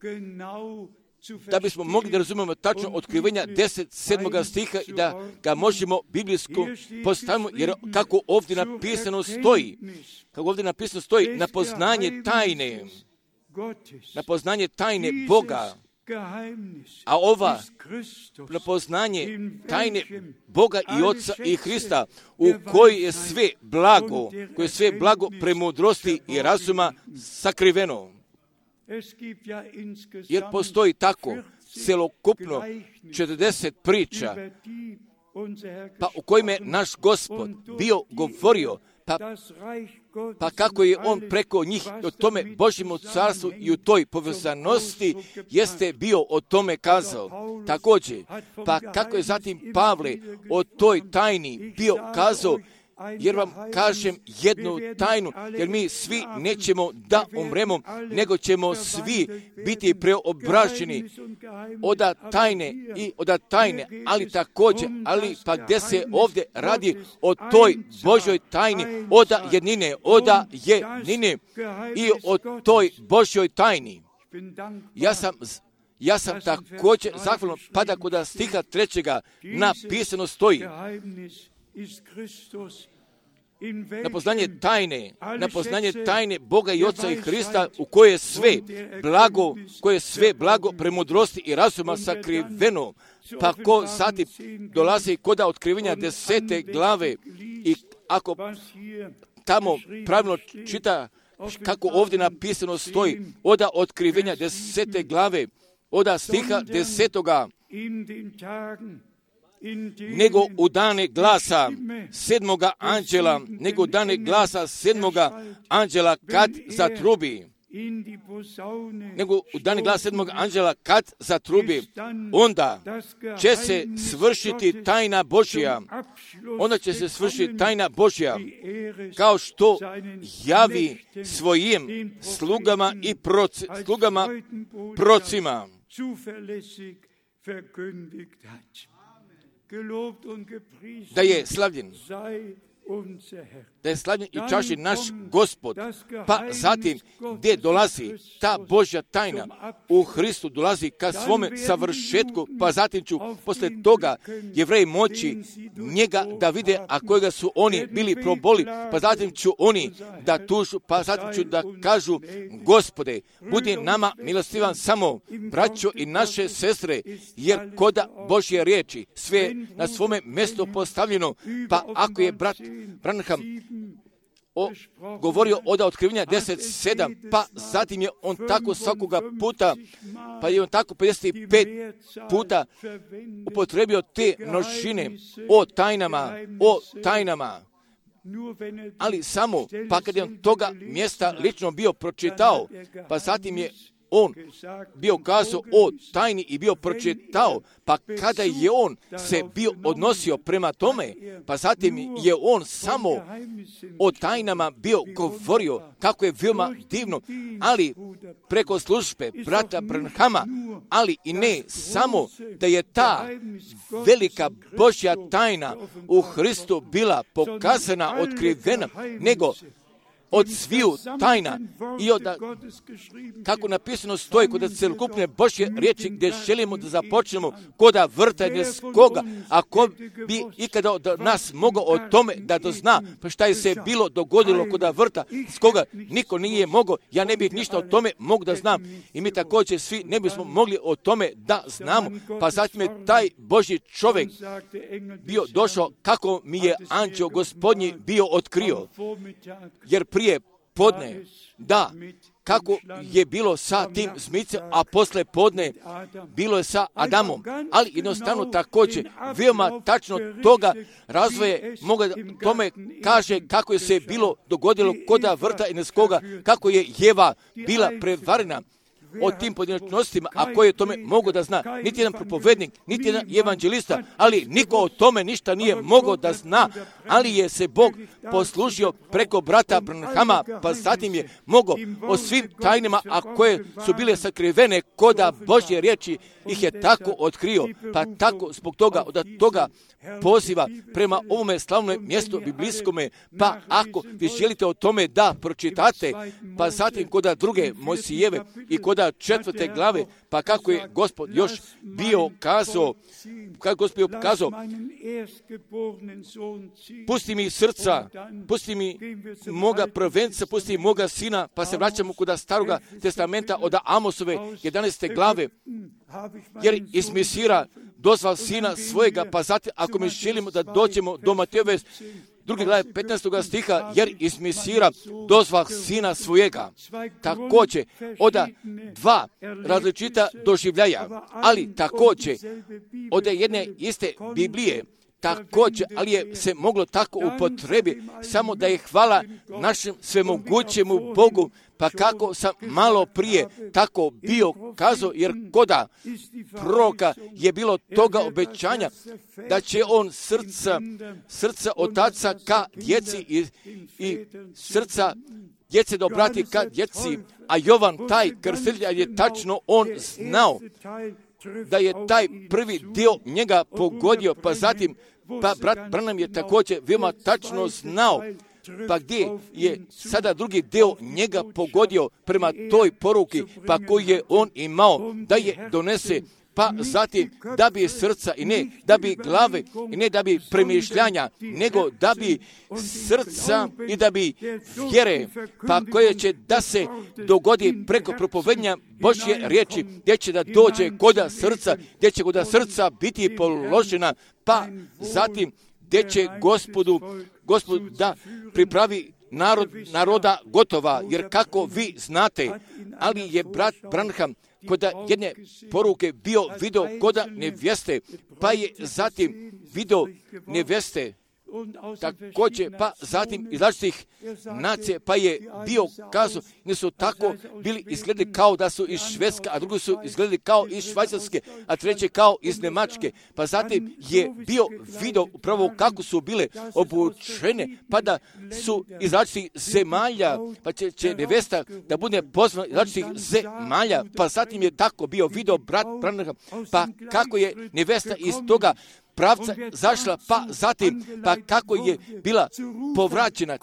Speaker 1: da bismo mogli da razumemo tačno otkrivenja deset sedmoga stiha i da ga možemo biblijsko postavimo, jer kako ovdje napisano stoji, kako ovdje napisano stoji, na poznanje tajne, na poznanje tajne Boga, a ova na poznanje tajne Boga i Oca i Hrista, u kojoj je sve blago, koje je sve blago premudrosti i razuma sakriveno. Jer postoji tako celokupno četrdeset priča, pa u kojima je naš Gospod bio govorio, pa, pa kako je on preko njih o tome Božjemu carstvu i u toj povezanosti jeste bio o tome kazao. Također, pa kako je zatim Pavle o toj tajni bio kazao, jer vam kažem jednu tajnu, jer mi svi nećemo da umremo, nego ćemo svi biti preobraženi od tajne i od tajne, ali također, ali pa gdje se ovdje radi o toj Božoj tajni, od jednine, od jednine i o toj Božoj tajni. Ja sam Ja sam također zahvalan, pa da kod stiha trećega napisano stoji, na poznanje tajne, na poznanje tajne Boga i Oca i Hrista, u koje je sve blago, koje je sve blago premudrosti i razuma sakriveno, pa ko zatim dolazi koda otkrivenja desete glave i ako tamo pravilno čita kako ovdje napisano stoji, oda otkrivenja desete glave, oda stiha desetoga, nego u dane glasa sedmoga anđela, nego u dane glasa sedmoga anđela kad zatrubi, nego u dane glasa sedmoga anđela kad zatrubi, onda će se svršiti tajna Božja, onda će se svršiti tajna Božja, kao što javi svojim slugama i proci, slugama procima. Da je slavljen, da je slavljen i čašćen naš Gospod, pa zatim gdje dolazi ta Božja tajna u Hristu, dolazi ka svome savršetku, pa zatim ću posle toga Jevreji moći njega da vide, a kojega su oni bili proboli, pa zatim ću oni da tužu, pa zatim ću da kažu, Gospode, budi nama milostivan samo, braćo i naše sestre, jer koda Božje riječi sve na svome mjestu postavljeno, pa ako je brat Branham o, govorio od otkrivenja deset sedam, pa zatim je on tako svakoga puta, pa je on tako pedeset pet puta upotrebio te množine o tajnama, o tajnama. Ali samo, pa kad je on toga mjesta lično bio pročitao, pa zatim je on bio kazao o tajni i bio pročitao, pa kada je on se bio odnosio prema tome, pa zatim je on samo o tajnama bio govorio, kako je veoma divno, ali preko službe brata Branhama, ali i ne samo da je ta velika Božja tajna u Hristu bila pokazana, otkrivena, nego od sviju tajna i od, kako napisano stoji kod celokupne Božje riječi, gdje želimo da započnemo koda vrtanje s koga, a ko bi ikada od nas mogao o tome da dozna, pa šta je se bilo dogodilo koda vrta s koga, niko nije mogao, ja ne bih ništa o tome mogu da znam i mi također svi ne bismo mogli o tome da znamo, pa zatim je taj Božji čovjek bio došao kako mi je anđeo Gospodnji bio otkrio, jer prije podne, da, kako je bilo sa tim zmicem, a posle podne bilo je sa Adamom, ali jednostavno također veoma tačno toga razvoje moga tome kaže kako je se bilo dogodilo koda vrta Edenskoga, kako je Jeva bila prevarena o tim pojedinačnostima, a ko je tome mogo da zna. Niti jedan propovednik, niti jedan evanđelista, ali niko o tome ništa nije mogao da zna, ali je se Bog poslužio preko brata Branhama, pa zatim je mogao o svim tajnama, a koje su bile sakrivene koda Božje riječi, ih je tako otkrio, pa tako zbog toga, od toga poziva prema ovome slavnom mjestu biblijskome, pa ako vi želite o tome da pročitate, pa zatim koda druge Mojsijeve i koda četvrte glave, pa kako je Gospod još bio kazao, kako Gospod bio kazao, pusti mi srca, pusti mi moga prvenca, pusti mi moga sina, pa se vraćamo kod staroga testamenta od Amosove jedanaeste glave, jer iz Mesira dozval sina svojega, pa zatim ako mi želimo da dođemo do Matejove druge glave petnaestog stiha, jer iz Mesira dozval sina svojega. Također, oda dva različita doživljaja, ali također od jedne iste Biblije, također, ali je se moglo tako upotrebi, samo da je hvala našem svemogućemu Bogu, pa kako sam malo prije tako bio kazao, jer koda proroka je bilo toga obećanja, da će on srca, srca otaca ka djeci i, i srca djece da obrati ka djeci, a Jovan taj krstitelj je tačno on znao da je taj prvi dio njega pogodio, pa zatim pa brat Branham je također veoma tačno znao, pa gdje je sada drugi dio njega pogodio prema toj poruki, pa koji je on imao da je donese, pa zatim da bi srca i ne da bi glave i ne da bi premišljanja, nego da bi srca i da bi vjere, pa koje će da se dogodi preko propovednja Božje riječi, gdje će da dođe koda srca, gdje će koda srca biti položena, pa zatim gdje će Gospodu, Gospod da pripravi narod, naroda gotova, jer kako vi znate, ali je brat Branham koda jedne poruke bio video koda nevjeste, pa je zatim video nevjeste, također, pa zatim iz različitih nacije, pa je bio kazao, ne su tako bili izgledali kao da su iz Švedske, a drugi su izgledali kao iz Švajcarske, a treće kao iz Njemačke, pa zatim je bio video upravo kako su bile obučene, pa da su iz različitih zemalja, pa će, će nevesta da bude pozvana iz različitih zemalja, pa zatim je tako bio video brat Branham, pa kako je nevesta iz toga pravca zašla, pa zatim, pa kako je bila povraćena,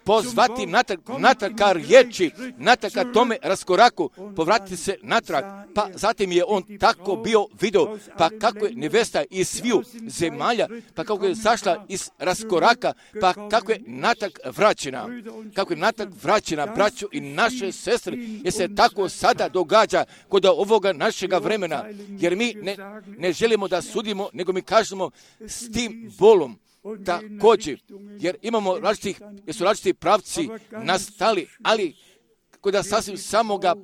Speaker 1: pozvati natrag, natrag ka riječi, natrag ka tome raskoraku, povratiti se natrag, pa zatim je on tako bio video, pa kako je nevesta iz sviju zemalja, pa kako je zašla iz raskoraka, pa kako je natrag vraćena, kako je natrag vraćena, braću i naše sestre, jer se tako sada događa kod ovoga našega vremena, jer mi ne, ne želimo da sudimo, nego mi kažemo s tim bolom također, jer imamo različitih, jer su različiti pravci nastali, ali kod sasvim samoga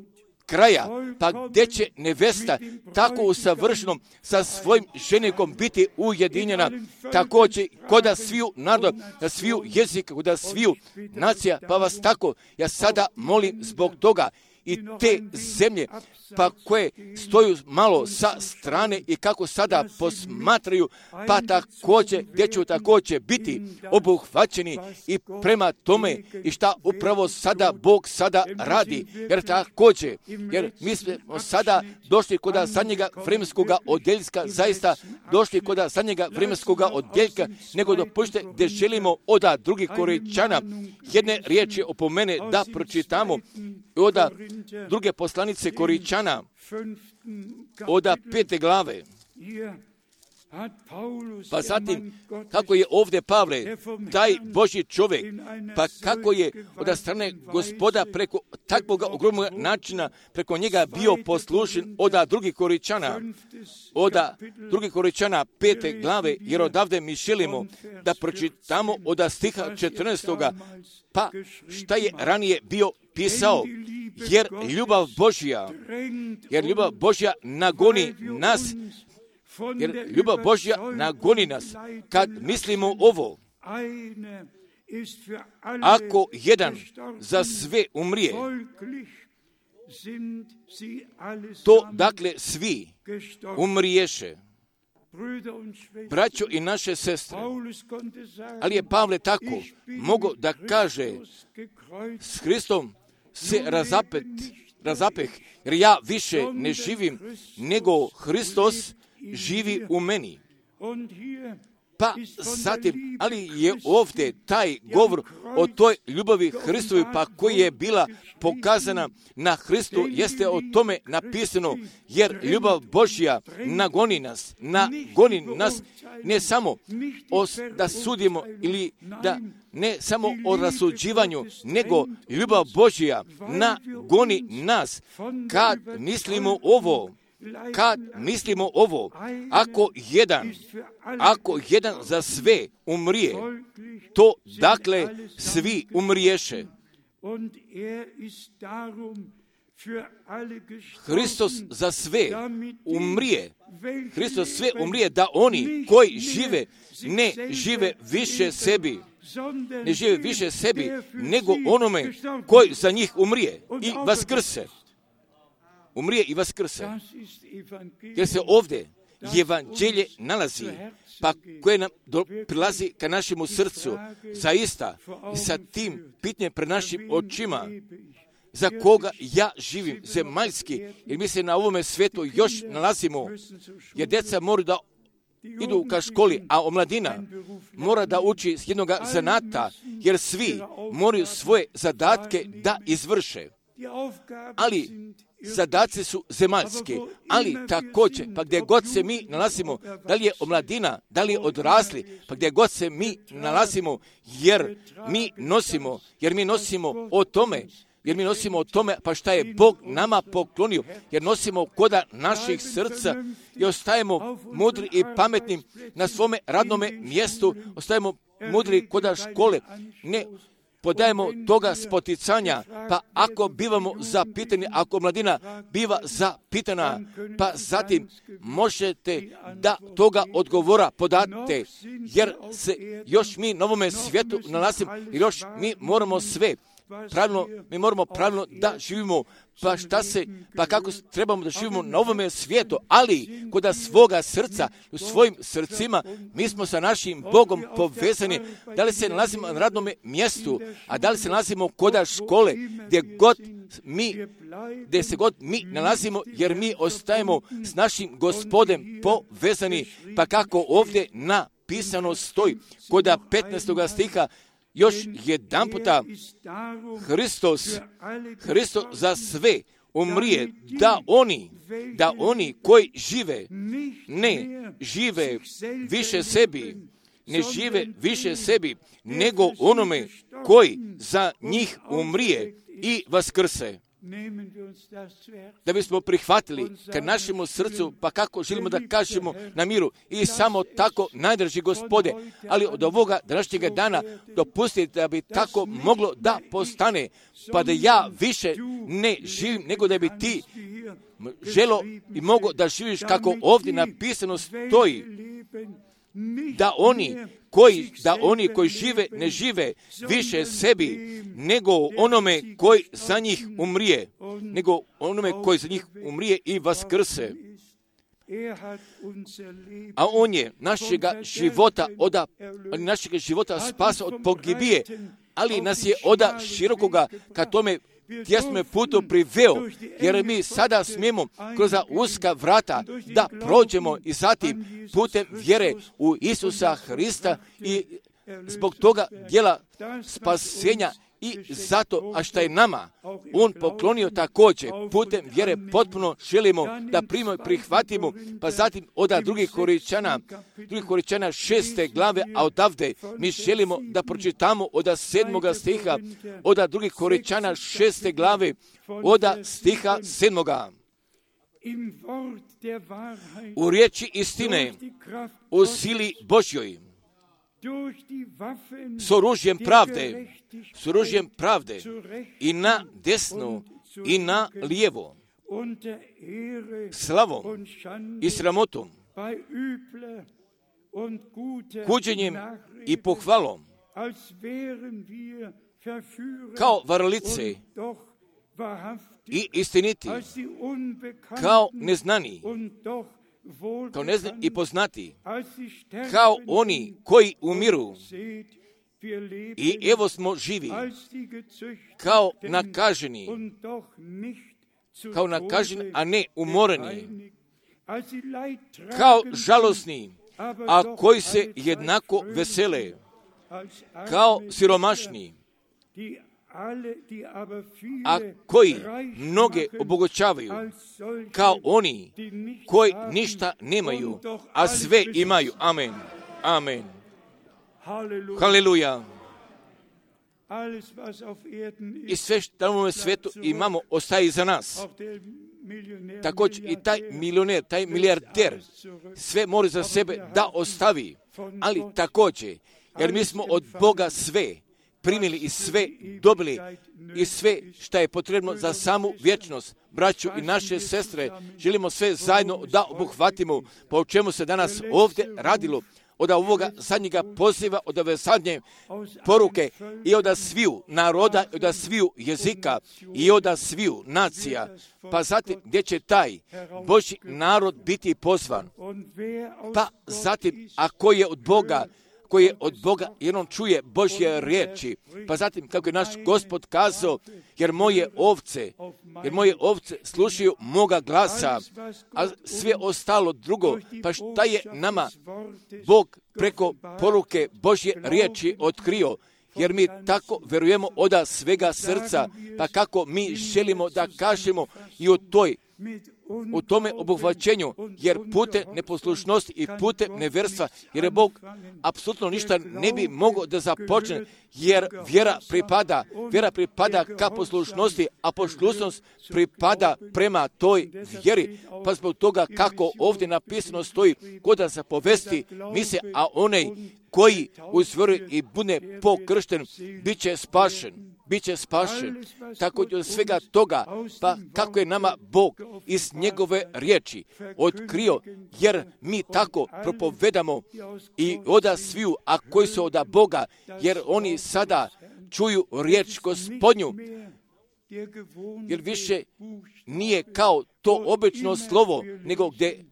Speaker 1: kraja, pa gdje će nevesta tako usavršenom sa svojim ženikom biti ujedinjena, također koda sviju naroda, sviju jezika, koda sviju nacija, pa vas tako, ja sada molim zbog toga, i te zemlje, pa koje stoju malo sa strane i kako sada posmatraju, pa također, gdje ću također biti obuhvaćeni i prema tome i šta upravo sada Bog sada radi, jer također, jer mi smo sada došli kod zadnjega vremenskog odjeljka, zaista došli kod zadnjega vremenskog odjeljka, nego dopušte gdje želimo od drugih Korinčana jedne riječi opomene da pročitamo od druge poslanice Korinčana, od pete glave. Pa zatim, kako je ovdje Pavle, taj Božji čovjek, pa kako je od strane Gospoda preko takvog ogromnog načina, preko njega bio poslušen od drugih Korinčana, od drugih Korinčana pete glave, jer odavde mi želimo da pročitamo od stiha četrnaestoga, pa šta je ranije bio pisao, jer ljubav Božja, jer ljubav Božja nagoni nas, jer ljubav Božja nagoni nas, kad mislimo ovo, ako jedan za sve umrije, to dakle svi umriješe, braćo i naše sestre. Ali je Pavle tako mogao da kaže, s Hristom se razapet, razapeh, jer ja više ne živim, nego Hristos živi u meni. Pa zatim, ali je ovdje taj govor o toj ljubavi Hristovi, pa koja je bila pokazana na Hristu, jeste o tome napisano, jer ljubav Božja nagoni nas, nagoni nas ne samo os, da sudimo ili da ne samo o rasuđivanju, nego ljubav Božja nagoni nas kad mislimo ovo. Kad mislimo ovo, ako jedan, ako jedan za sve umrije, to dakle svi umriješe. Hristos za sve umrije, Hristos sve umrije da oni koji žive ne žive više sebi, ne žive više sebi, nego onome koji za njih umrije i vaskrse. Umrije i vaskrse. Jer se ovdje evanđelje nalazi, pa koje nam do, prilazi ka našemu srcu, zaista i sa tim pitanjem pred našim očima, za koga ja živim, zemaljski, jer mi se na ovome svijetu još nalazimo, jer djeca moraju da idu ka školi, a omladina mora da uči s jednog zanata, jer svi moraju svoje zadatke da izvrše. Ali zadaci su zemaljski, ali također, pa gdje god se mi nalazimo, da li je omladina, da li je odrasli, pa gdje god se mi nalazimo, jer mi nosimo, jer mi nosimo o tome, jer mi nosimo o tome, pa šta je Bog nama poklonio, jer nosimo koda naših srca i ostajemo mudri i pametni na svome radnome mjestu, ostajemo mudri koda škole, ne podajemo toga spoticanja, pa ako bivamo zapitani, ako mladina biva zapitana, pa zatim možete da toga odgovora podate, jer se još mi na ovome svijetu nalazimo, jer još mi moramo sve pravilno, mi moramo pravilno da živimo, pa šta se, pa kako trebamo da živimo na ovome svijetu, ali koda svoga srca, u svojim srcima, mi smo sa našim Bogom povezani, da li se nalazimo na radnom mjestu, a da li se nalazimo koda škole, gdje god mi, gdje se god mi nalazimo, jer mi ostajemo s našim Gospodem povezani, pa kako ovdje napisano stoji, koda petnaestoga stiha, još jedan puta Hristos, Hristos za sve umrije, da oni, da oni koji žive, ne žive više sebi, ne žive više sebi, nego onome koji za njih umrije i vaskrse. Da bismo prihvatili ka našemu srcu, pa kako želimo da kažemo na miru i samo tako, najdraži Gospode, ali od ovoga današnjega dana dopustite da bi tako moglo da postane, pa da ja više ne živim, nego da bi ti želo i mogo da živiš kako ovdje napisano stoji, da oni koji, da oni koji žive ne žive više sebi, nego onome koji za njih umrije, nego onome koji za njih umrije i vaskrse. A on je našega života oda, našega života spasa od pogibije, ali nas je oda širokoga ka tome tjesnome putu priveo, jer mi sada smijemo kroz uska vrata da prođemo i zatim putem vjere u Isusa Hrista i zbog toga djela spasenja I zato, a šta je nama on poklonio također, putem vjere potpuno želimo da primimo i prihvatimo, pa zatim od drugih Korinćana, drugih Korinćana šeste glave, a odavde mi želimo da pročitamo od sedmoga stiha, od drugih Korinćana šeste glave, od stiha sedmoga. U riječi istine, u sili Božjoj, s oružjem pravde, s oružjem pravde i na desno i na lijevo, slavom i sramotom, kuđenjem i pohvalom, kao varalice i istiniti, kao neznani, kao neznani i poznati, kao oni koji umiru. I evo smo živi, kao nakaženi, kao nakaženi, a ne umoreni, kao žalosni, a koji se jednako vesele, kao siromašni, a koji mnoge obogućavaju, kao oni koji ništa nemaju, a sve imaju. Amen. Amen. Haleluja. I sve što na ovom svijetu imamo ostaje iza nas. Također i taj milioner, taj milijarder sve mora za sebe da ostavi, ali također, jer mi smo od Boga sve primili i sve dobili i sve što je potrebno za samu vječnost. Braću i naše sestre, želimo sve zajedno da obuhvatimo, po čemu se danas ovdje radilo, od ovoga zadnjega poziva, od ove zadnje poruke i od sviju naroda, i od sviju jezika i od sviju nacija. Pa zatim gdje će taj Božji narod biti pozvan? Pa zatim, ako je od Boga, koji je od Boga, jer on čuje Božje riječi. Pa zatim, kako je naš Gospod kazao, jer moje ovce, jer moje ovce slušaju moga glasa, a sve ostalo drugo, pa šta je nama Bog preko poruke Božje riječi otkrio? Jer mi tako verujemo od svega srca, pa kako mi želimo da kažemo i u toj u tome obuhvaćenju, jer putem neposlušnosti i putem neverstva, jer je Bog apsolutno ništa ne bi mogao da započne, jer vjera pripada, vjera pripada ka poslušnosti, a poslušnost pripada prema toj vjeri. Pa zbog toga kako ovdje napisano stoji, ko da se povesti misle, a onaj koji uzvjeruje i bude pokršten, bit će spašen. Biće spašen. Tako od svega toga, pa kako je nama Bog iz njegove riječi otkrio, jer mi tako propovedamo i oda sviju, a koji su oda Boga, jer oni sada čuju riječ Gospodnju, jer više nije kao to obično slovo, nego gdje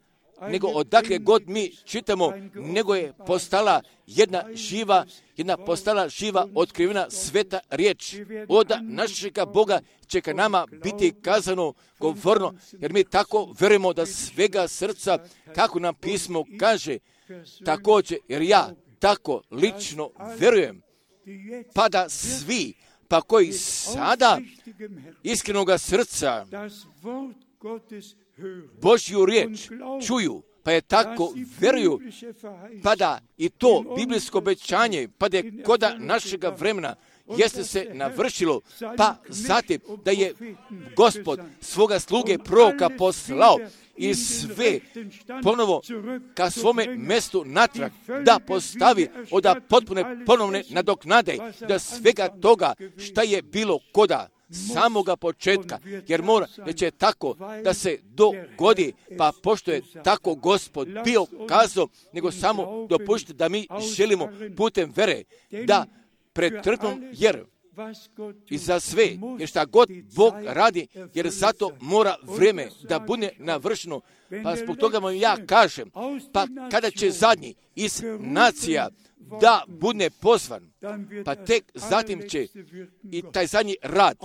Speaker 1: nego odakle god mi čitamo, nego je postala jedna živa, jedna postala živa otkrivena sveta riječ. Od našega Boga će ka nama biti kazano, govorno, jer mi tako verujemo da svega srca, kako nam pismo kaže, također, jer ja tako lično verujem, pa da svi, pa koji sada iskrenoga srca Božju riječ čuju, pa je tako veruju, pa da i to biblijsko obećanje, pa da je koda našega vremena jeste se navršilo, pa zatim da je Gospod svoga sluge proroka poslao i sve ponovo ka svome mjestu natrag da postavi od potpune ponovne nadoknade, da svega toga šta je bilo koda samoga početka, jer mora, da će tako da se dogodi, pa pošto je tako Gospod bio kazao, nego samo dopušite da mi želimo putem vere da pretrpimo, jer i za sve, jer šta god Bog radi, jer zato mora vrijeme da bude navršeno, pa zbog toga vam ja kažem, pa kada će zadnji iz nacija da bude pozvan, pa tek zatim će i taj zadnji rad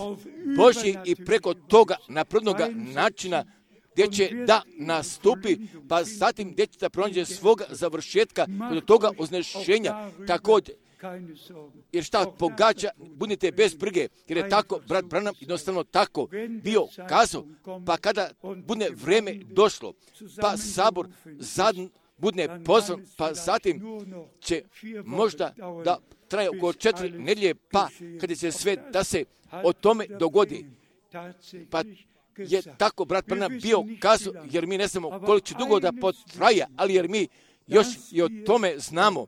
Speaker 1: Božji i preko toga naprednoga načina gdje će da nastupi, pa zatim gdje će da pronađe svoga završetka od toga uznešenja, također jer šta pogađa, budite bez brige, jer je tako, brat Branham jednostavno tako bio kazao, pa kada bude vreme došlo, pa sabor zadn bude pozvan, pa zatim će možda da traje oko četiri nedjelje, pa kada će sve da se o tome dogodi, pa je tako brat Branham bio kazao, jer mi ne znamo koliko će dugo da potraja, ali jer mi još i o tome znamo,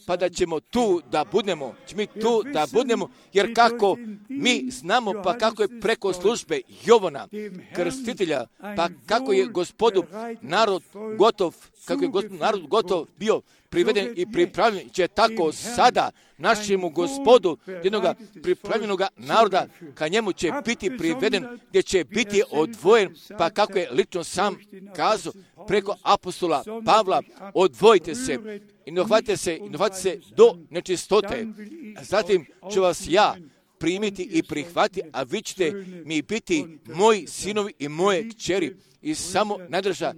Speaker 1: pa da ćemo tu da budemo, mi tu da budemo, jer kako mi znamo, pa kako je preko službe Jovana, krstitelja, pa kako je gospodu narod gotov, kako je gospodu narod gotov bio priveden i pripravljen, će tako sada našemu gospodu jednog pripravljenog naroda, ka njemu će biti priveden, gdje će biti odvojen, pa kako je lično sam kazao preko apostola Pavla, odvojite se i ne uhvatite se, i ne uhvatite se do nečistote. Zatim ću vas ja primiti i prihvati, a vi ćete mi biti moji sinovi i moje kćeri. I samo nadrža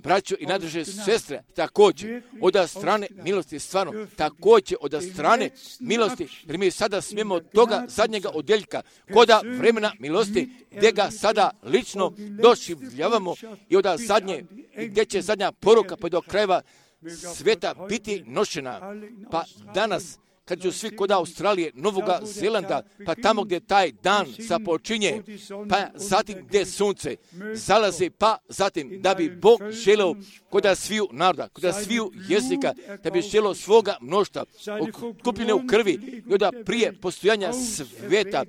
Speaker 1: braćo i nadrže sestre, također od strane milosti, stvarno, također od strane milosti, jer mi sada smijemo od toga zadnjega odjeljka, koda vremena milosti, gdje ga sada lično doživljavamo i od zadnje, gdje će zadnja poruka pa do krajeva svijeta biti nošena. Pa danas, kad su svi kod Australije, Novoga Zelanda, pa tamo gdje taj dan započinje, pa zatim gdje sunce zalazi, pa zatim da bi Bog želeo kod sviju naroda, kod sviju jezika, da bi želeo svoga mnoštva, kupljene u krvi, i onda prije postojanja svijeta,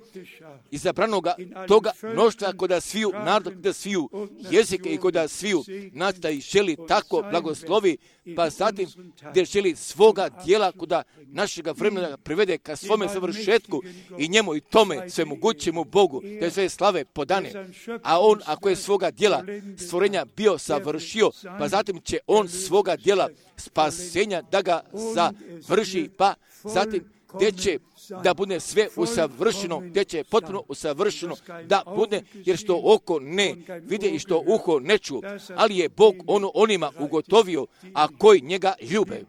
Speaker 1: izabranoga toga mnoštva kod sviju naroda, kod sviju jezika i kod sviju nacita i želi tako blagoslovi, pa zatim gdje želi svoga dijela kod našega vremena privede ka svome završetku i njemu i tome sve mogućemu Bogu, da je sve slave podane. A on, ako je svoga dijela stvorenja bio savršio, pa zatim će on svoga dijela spasenja da ga završi, pa zatim gdje će da bude sve usavršeno, gdje će potpuno usavršeno da bude, jer što oko ne vide i što uho ne ču, ali je Bog ono onima ugotovio, a koji njega ljube.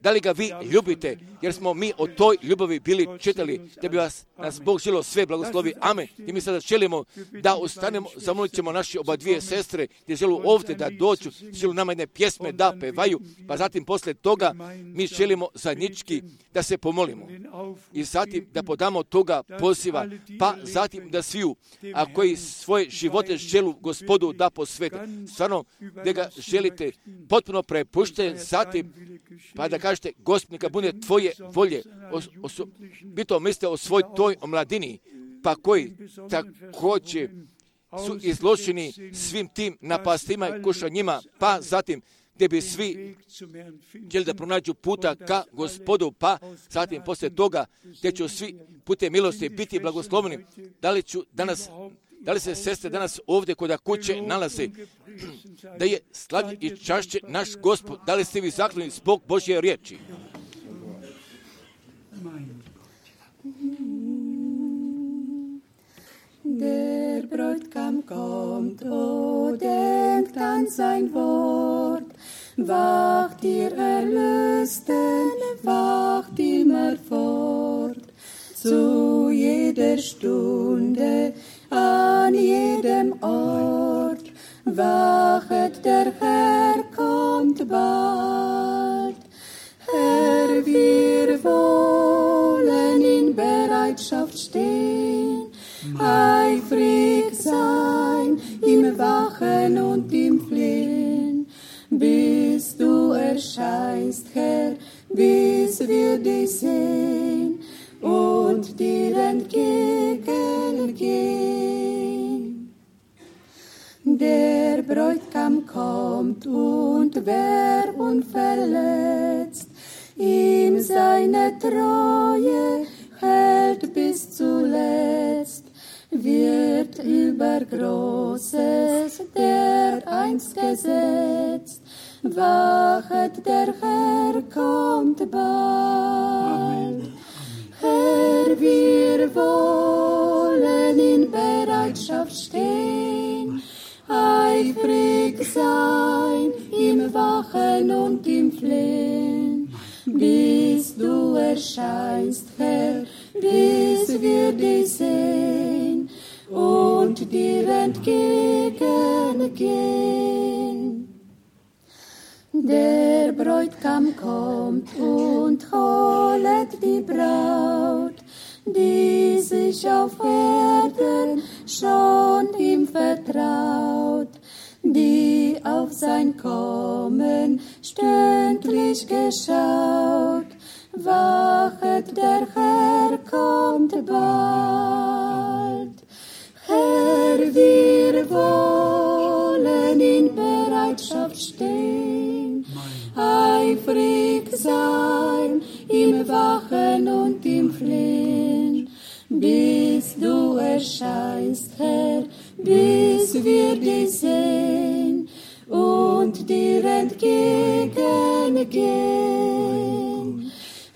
Speaker 1: Da li ga vi ljubite, jer smo mi o toj ljubavi bili čitali, da bi vas, nas Bog želio sve blagoslovi. Amen. I mi sada želimo da ustanemo, zamolit ćemo naše oba dvije sestre, gdje želu ovdje da dođu, želu nama jedne pjesme da pevaju, pa zatim posle toga mi želimo zajednički da se pomolimo. I zatim da podamo toga poziva, pa zatim da sviju, a koji svoje živote želu Gospodu da posvete. Stvarno, da ga želite potpuno prepuštiti, zatim pa da kažete, Gospod, neka bude tvoje volje, bito mislite o svoj toj omladini, pa koji također su izloženi svim tim napastima i kušanjima, pa zatim gdje bi svi želi da pronađu puta ka Gospodu, pa zatim poslije toga gdje će svi putem milosti biti blagosloveni. Da li ću danas, da li se sestre danas ovdje kod kuće nalaze, da je slavlje i čašće naš Gospod, da li ste vi zakloni zbog Božje riječi?
Speaker 3: Der Bräutigam kommt, o denkt an sein Wort. Wacht ihr Erlösten, wacht immer fort. Zu jeder Stunde, an jedem Ort. Wachet, der Herr kommt bald. Herr, wir wollen in Bereitschaft stehen, eifrig sein im Wachen und im Flehen, bis du erscheinst, Herr, bis wir dich sehen und dir entgegengehen. Der Bräutigam kommt und wer unverletzt ihm seine Treue hält bis zuletzt, wird über Großes dereinst gesetzt. Wachet, der Herr kommt bald. Amen. Herr, wir wollen in Bereitschaft stehen, eifrig sein im Wachen und im Flehen, bis du erscheinst, Herr, bis wir dich sehen und dir entgegengehen. Der Bräutigam kommt und holet die Braut, die sich auf Erden schon ihm vertraut, die auf sein Kommen stündlich geschaut. Wachet, der Herr kommt bald. Herr, wir wollen in Bereitschaft stehen, eifrig sein im Wachen und im Flehen, bis du erscheinst, Herr, bis wir dich sehen und dir entgegengehen.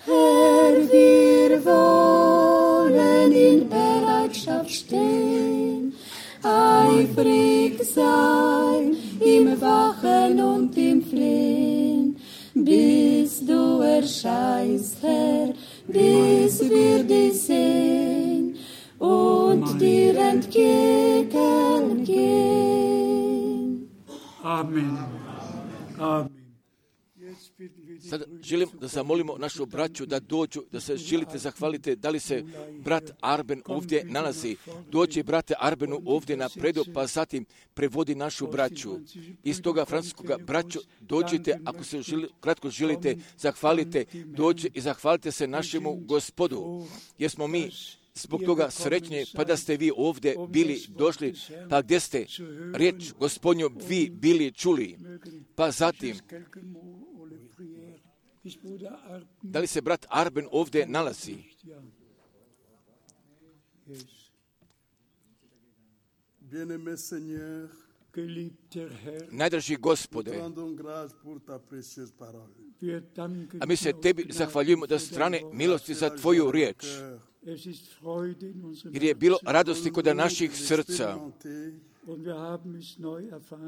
Speaker 3: Herr, wir wollen in Bereitschaft stehen, eifrig sein im Wachen und im Flehen, bis du erscheinst, Herr, bis wir dich sehen und dir entgegengehen.
Speaker 4: Amen. Amen.
Speaker 1: Sad želim da zamolimo našu braću da dođu, da se želite zahvalite. Da li se brat Arben ovdje nalazi? Dođi, brate Arbenu, ovdje napredu, pa zatim prevodi našu braću. Iz toga francuskoga braću dođite, ako se želi, kratko želite, zahvalite, dođe i zahvalite se našemu Gospodu. Jer smo mi zbog toga srećni, pa da ste vi ovdje bili došli, pa gdje ste riječ Gospodnju vi bili čuli. Pa zatim, da li se brat Arben ovdje nalazi? Najdraži Gospode, a mi se tebi zahvaljujemo da strane milosti za tvoju riječ, jer je bilo radosti kod naših srca,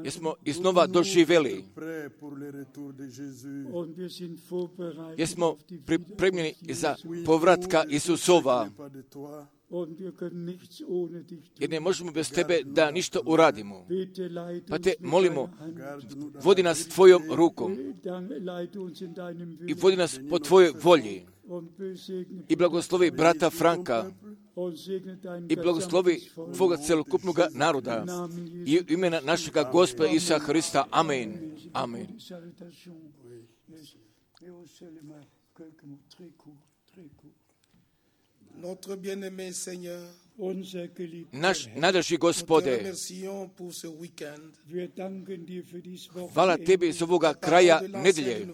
Speaker 1: jer smo iznova doživjeli, jer smo pripremljeni za povratka Isusova, jer ne možemo bez tebe da ništa uradimo. Pa te molimo, vodi nas tvojom rukom i vodi nas po tvojoj volji i blagoslovi brata Franka i blagoslovi tvoga celokupnog naroda i u imena našega Gospoda Isusa Hrista. Amen. Amen.
Speaker 5: Notre bien-aimé Seigneur,
Speaker 1: naš najdraži Gospode, hvala tebi iz ovoga kraja nedelje.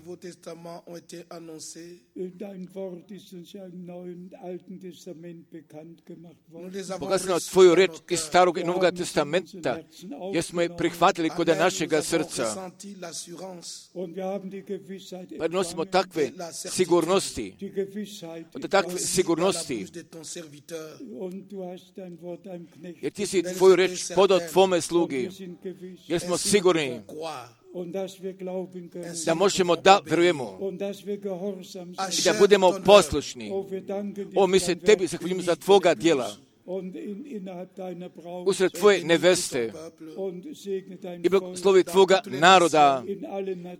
Speaker 1: Pokazano tvoju reč iz Starog i Novog testamenta, jer smo je prihvatili kod našega srca. Pa nosimo takve sigurnosti, od takve sigurnosti, jer ti si tvoju reč podao tvome slugi, jer smo sigurni da možemo da vjerujemo i da budemo poslušni. O, mi se tebi zahvaljujemo za tvoga djela usred tvoje neveste i blagoslovi tvoga naroda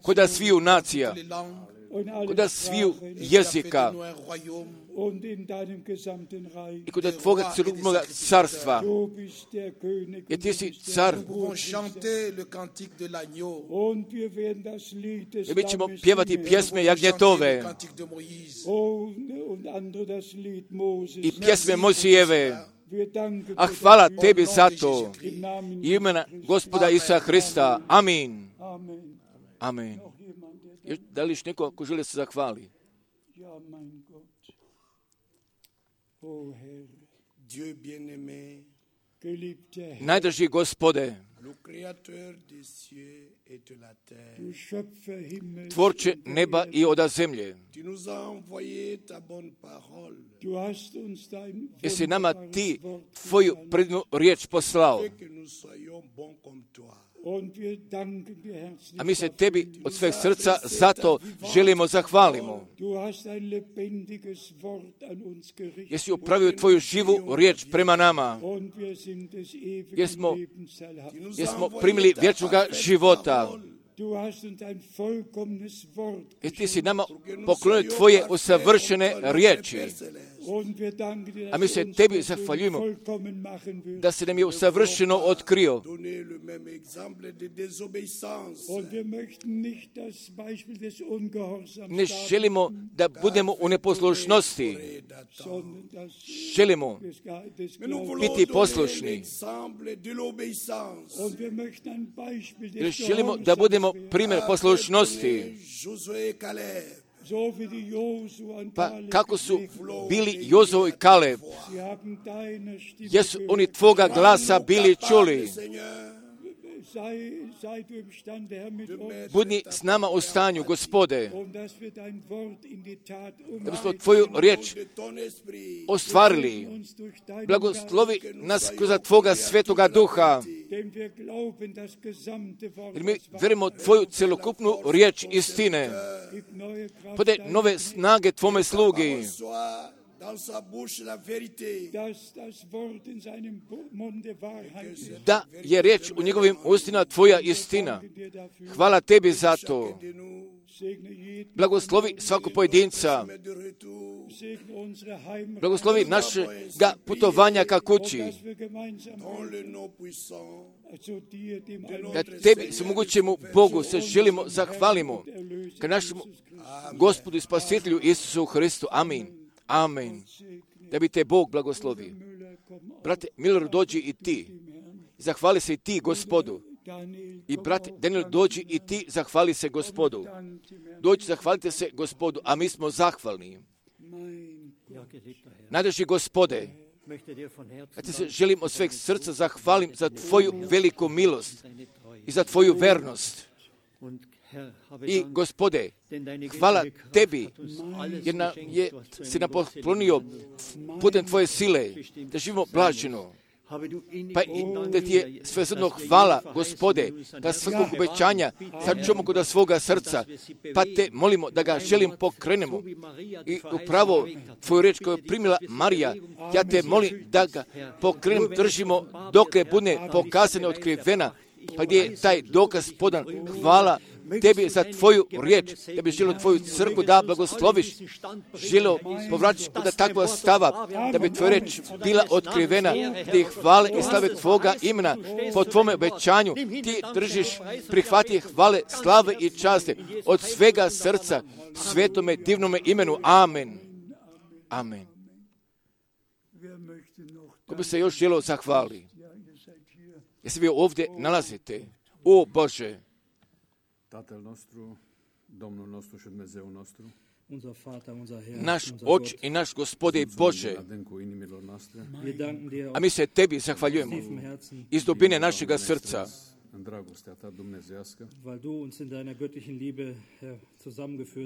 Speaker 1: kod sviju nacija, kod sviju jezika i kod tvoga celokupnog carstva, jer ti si car. I mi ćemo pjevati pjesme jagnjetove i pjesme Mojsijeve. A hvala tebi za to. I imena Gospoda Isusa Hrista. Amin. Amin. Da li još neko ko želi se zahvali? Najdraži Gospode, Tvorče neba i oda zemlje, Jesi nama ti tvoju predivnu riječ poslao. A mi se tebi od sveg srca zato želimo zahvalimo. Jesi upravio tvoju živu riječ prema nama. Jer smo, jer smo primili vječnoga života. I ti si nama poklonio tvoje usavršene riječi. A mi se tebi zahvaljujemo da se nam je usavršeno otkrio. Ne želimo da budemo u neposlušnosti. Želimo biti poslušni. Jer želimo da budemo primjer poslušnosti. Pa kako su bili Jozo i Kaleb, jesu oni tvoga glasa bili čuli. Budi s nama u stanju, Gospode, da bismo tvoju riječ ostvarili. Blagoslovi nas kroz tvoga svetoga duha. Jer mi vjerujemo tvoju celokupnu riječ istine. Podaj nove snage tvome slugi. Da je riječ u njegovim ustima tvoja istina. Hvala tebi za to. Blagoslovi svakog pojedinca. Blagoslovi našega putovanja ka kući. Da tebi se mogućemu Bogu se želimo zahvalimo ka našemu Gospodu i Spasitelju Isusu Hristu. Amin. Amen. Da bi te Bog blagoslovi. Brate Miller, dođi i ti. Zahvali se i ti Gospodu. I brate Daniel, dođi i ti, zahvali se Gospodu. Dođi, zahvalite se Gospodu, a mi smo zahvalni. Najdraži Gospode, ja ti se želim od sveg srca zahvalim za tvoju veliku milost i za tvoju vernost. I Gospode, hvala tebi, jer na, je, si nam poklonio putem tvoje sile, da živimo blaženo. Pa i da ti je sve zadno hvala, Gospode, da svakog obećanja sačuvamo kod svoga srca, pa te molimo da ga želim pokrenemo. I upravo tvoju riječ koju je primila Marija, ja te molim da ga pokrenemo, držimo dok je bude pokazane otkrivena, pa gdje je taj dokaz podan. Hvala tebi za tvoju riječ, da bi želio tvoju crkvu da blagosloviš, želio povraćati da takva stava, da bi tvoja riječ bila otkrivena, ti hvale i slave tvoga imena po tvome obećanju, ti držiš, prihvati hvale, slave i časte od svega srca, svetome, divnome imenu. Amen. Amen. Ko bi se još želio zahvali? Jesi vi ovdje nalazite? O Bože!
Speaker 6: Tatăl nostru, Domnul nostru și Dumnezeu nostru,
Speaker 1: naš Oče i naš Gospode Bože, a mi se tebi zahvaljujemo iz dubine našega srca,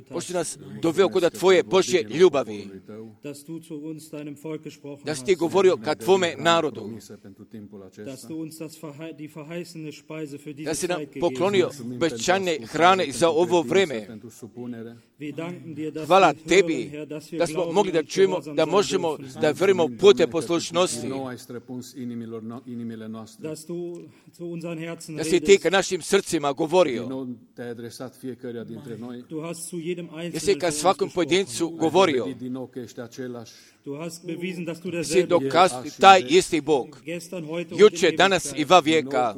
Speaker 1: pošto nas doveo kod tvoje Božje ljubavi, da si ti govorio ka tvome narodu, da si nam poklonio obećane hrane za ovo vreme. Hvala tebi da smo mogli da čujemo, da možemo da verimo pute poslušnosti, da si ti ka našim srcima govorio, da si ka svakom pojedincu govorio, si dokazao taj isti Bog, juče, danas i va vijeka.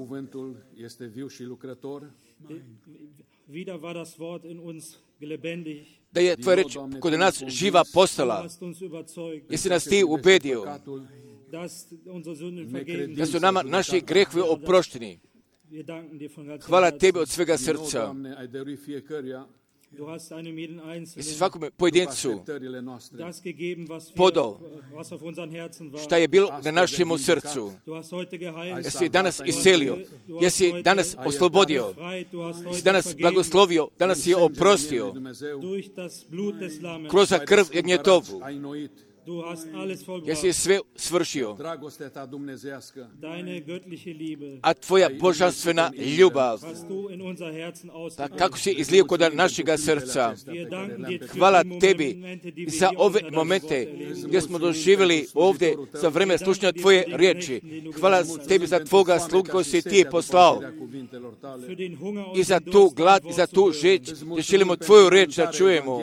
Speaker 1: Da je tvoja reč kod nas živa postala, jesi nas ti ubedio da su nama naši grehovi oprošteni. Hvala tebi od svega srca. i svakome pojedincu podao šta je bilo na našemu srcu. Jesi danas iscelio, jesi danas oslobodio, jesi danas blagoslovio, danas je oprostio kroz krv Jagnjetovu. Jesi sve svršio, a tvoja božanstvena ljubav, pa kako si izlio kod našega srca. Hvala tebi za ove momente gdje smo doživjeli ovdje za vreme slušanja tvoje riječi. Hvala tebi za tvoga slugu koji si ti poslao i za tu glad i za tu žeć gdje želimo tvoju riječ da čujemo,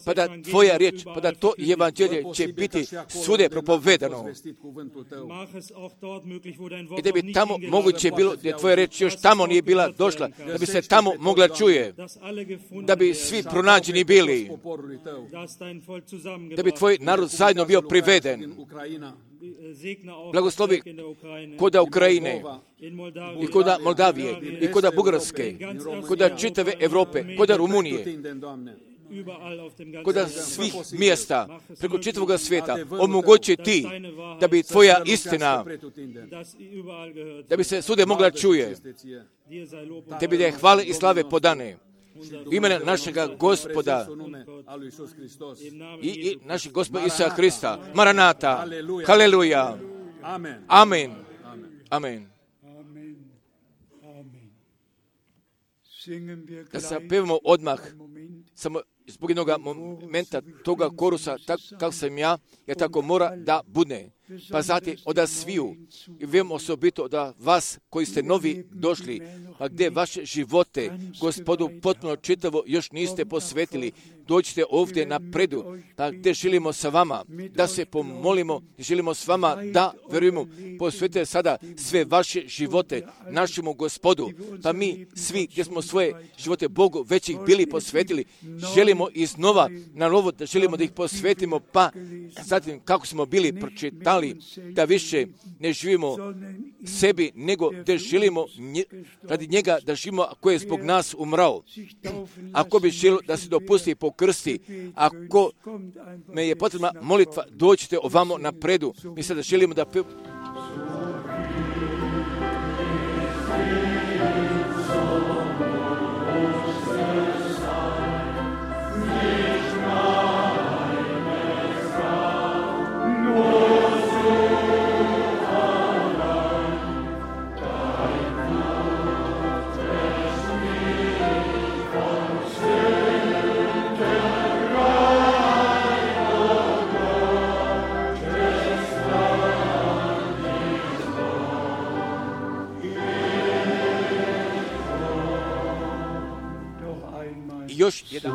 Speaker 1: pa da tvoja riječ, pa da to evanđelje će biti svude propovedano. I da bi tamo moguće bilo, gdje tvoja riječ još tamo nije bila došla, da bi se tamo mogla čuje, da bi svi pronađeni bili, da bi tvoj narod zajedno bio priveden. Blagoslovi koda Ukrajine i koda Moldavije i koda Bugarske, koda čitave Evrope, koda Rumunije, koda svih mjesta preko čitavog svijeta omogući ti da bi tvoja istina, da bi se svude mogla čuje. Tebi da je hvale i slave podane u imena našega Gospoda i, i našeg Gospoda Isusa Hrista. Maranata. Haleluja. Amen. Amen. Da se pevamo odmah, samo zbog jednog momenta toga korusa, tako kako sam ja, ja tako mora da bude. Pa zatim od sviju, i vem osobito da vas koji ste novi došli, pa gdje vaše živote Gospodu potpuno čitavo još niste posvetili, dođite ovdje napredu, pa gdje želimo sa vama da se pomolimo, želimo s vama da verujemo, posvetite sada sve vaše živote našemu Gospodu, pa mi svi gdje smo svoje živote Bogu već ih bili posvetili, želimo iznova na novo da želimo da ih posvetimo, pa zatim kako smo bili pročitali, da više ne živimo sebi, nego da želimo nje, radi njega da živimo koji je zbog nas umrao. Ako bi želio da se dopusti i pokrsti, ako me je potrebna molitva, dođite ovamo napredu. Mi sada želimo da... Pe... Još jedan.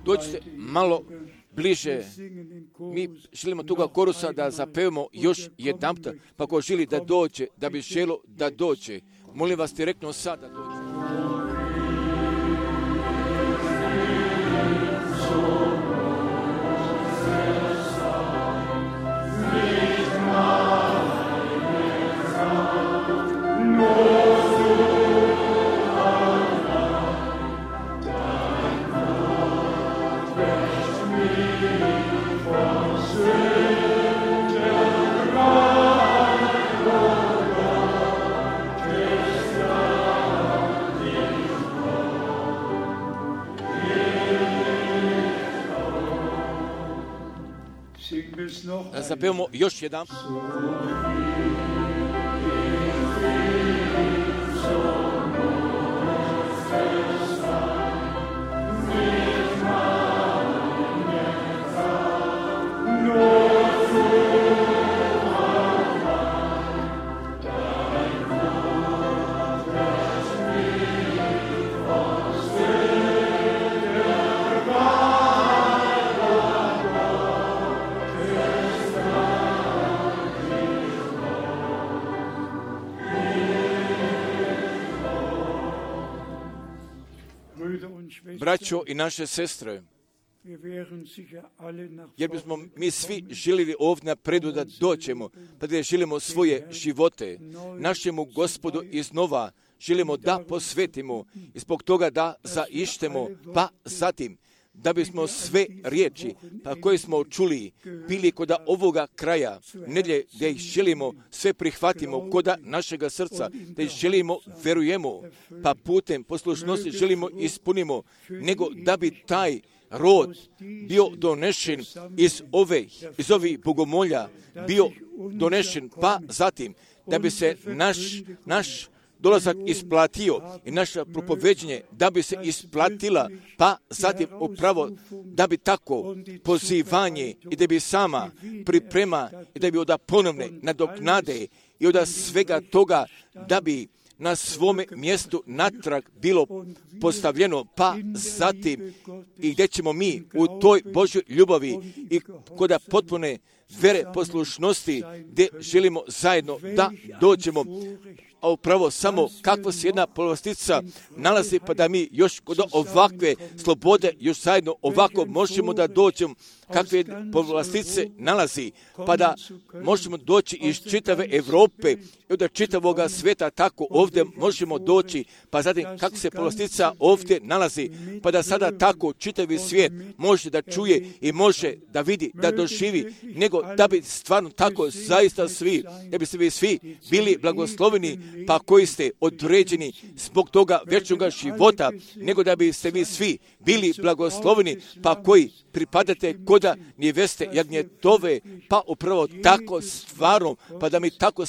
Speaker 1: Dođite malo bliže. Mi želimo toga korusa da zapevamo još jedan puta, pa ko želi da dođe, da bi želo da dođe, molim vas direktno sad da dođe. Da zapevamo još jedan.
Speaker 3: No.
Speaker 1: braćo i naše sestre, jer bismo mi svi željeli ovdje napredu da doćemo, pa da želimo svoje živote našemu Gospodu iznova želimo da posvetimo i zbog toga da zaištemo, pa zatim da bismo sve riječi pa koje smo čuli bili kod ovoga kraja nedjelje, da ih želimo sve prihvatimo kod našega srca, da ih želimo, verujemo, pa putem poslušnosti želimo ispunimo, nego da bi taj rod bio donešen iz ove, iz ovih bogomolja, bio donešen, pa zatim da bi se naš, naš dolazak isplatio i naše propoveđenje da bi se isplatila, pa zatim upravo da bi tako pozivanje i da bi sama priprema i da bi od ponovne nadoknade i od svega toga da bi na svome mjestu natrag bilo postavljeno, pa zatim i gdje ćemo mi u toj Božjoj ljubavi i kod potpune vere poslušnosti gdje želimo zajedno da dođemo, a upravo samo kakva se jedna povlastica nalazi, pa da mi još kod ovakve slobode još zajedno ovako možemo da dođemo, kakve povlastice nalazi, pa da možemo doći iz čitave Europe i od čitavoga svijeta, tako ovdje možemo doći, pa zatim kako se povlastica ovdje nalazi, pa da sada tako čitavi svijet može da čuje i može da vidi, da doživi, nego da bi stvarno tako zaista svi, da bi se vi svi bili blagosloveni, pa koji ste određeni zbog toga vječnoga života, nego da biste vi svi bili blagosloveni, pa koji pripadate koda neveste jagnjetove, pa upravo tako stvarno, pa da mi tako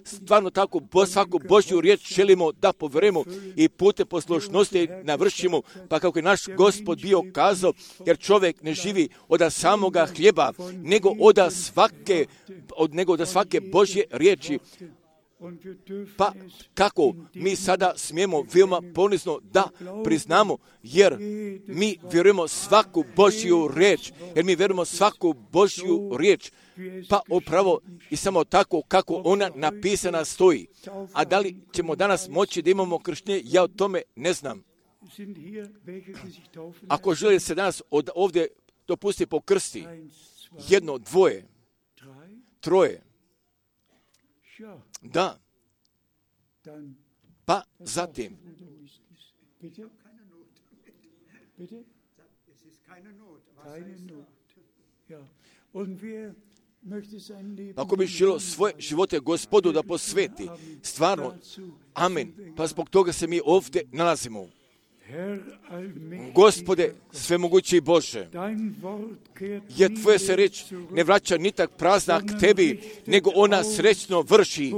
Speaker 1: stvarno tako bo, svaku Božju riječ želimo da poverujemo i putem poslušnosti navršimo, pa kako je naš Gospod bio kazao, jer čovjek ne živi od samoga hljeba, nego od svake, od nego od svake Božje riječi. Pa kako mi sada smijemo veoma ponizno da priznamo, jer mi vjerujemo svaku Božju riječ, jer mi vjerujemo svaku Božju riječ, pa upravo i samo tako kako ona napisana stoji. A da li ćemo danas moći da imamo krštenje, ja o tome ne znam. Ako želi se danas od ovdje dopusti po krsti, jedno, dvoje, troje, da, pa zatim, ako bi želio svoje živote Gospodu da posveti, stvarno, amen, pa zbog toga se mi ovdje nalazimo. Gospode, svemogući Bože, jer Tvoja se riječ ne vraća ni tak prazna k Tebi, nego ona srećno vrši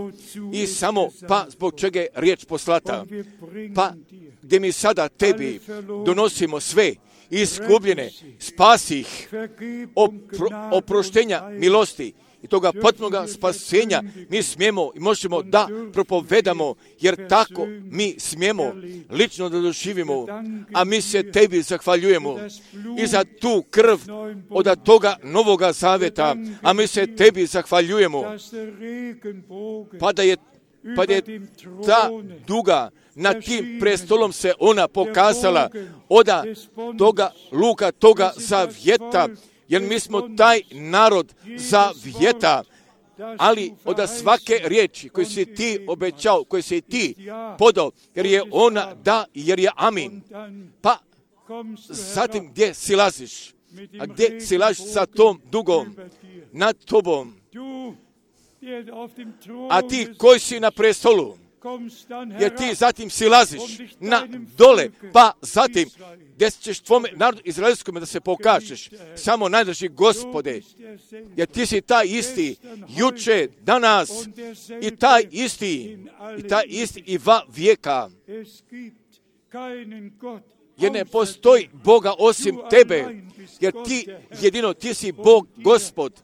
Speaker 1: i samo pa zbog čega je riječ poslata. Pa gdje mi sada Tebi donosimo sve iskupljene, spasi ih, opro, oproštenja milosti i toga potpunoga spasenja mi smijemo i možemo da propovedamo, jer tako mi smijemo lično da doživimo, a mi se Tebi zahvaljujemo i za tu krv od toga novoga zaveta, a mi se Tebi zahvaljujemo, pa da je, pa da je ta duga na tim prestolom se ona pokazala od toga luka, toga zavjeta, jer mi smo taj narod zavjeta, ali od svake riječi koju si ti obećao, koju si ti podao, jer je ona da, jer je amin. Pa zatim gdje silaziš? A gdje silaziš sa tom dugom nad tobom? A ti koji si na prestolu, jer ti zatim silaziš na dole, pa zatim gdje ćeš tvome narodu izraelskome da se pokažeš, samo najdraži Gospode, jer ti si taj isti juče, danas i taj isti, i taj isti i va vijeka. Jer ne postoji Boga osim tebe, jer ti jedino, ti si Bog, Gospod,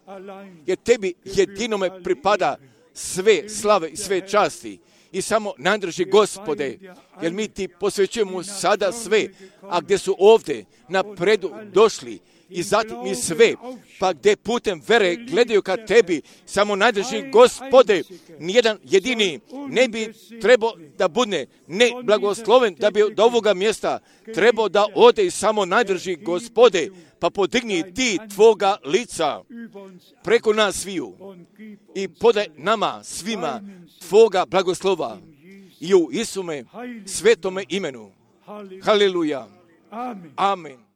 Speaker 1: jer tebi jedinome pripada sve slave i sve časti. I samo najdraži Gospode, jer mi ti posvećujemo sada sve, a gdje su ovdje napredu došli, i zatim i sve, pa gdje putem vere gledaju ka tebi, samo najdrži Gospode, nijedan jedini ne bi trebao da bude ne blagosloven, da bi do ovoga mjesta trebao da ode i samo najdrži Gospode, pa podigni ti tvoga lica preko nas sviju i podaj nama svima tvoga blagoslova i u Isume svetome imenu. Haleluja. Amen.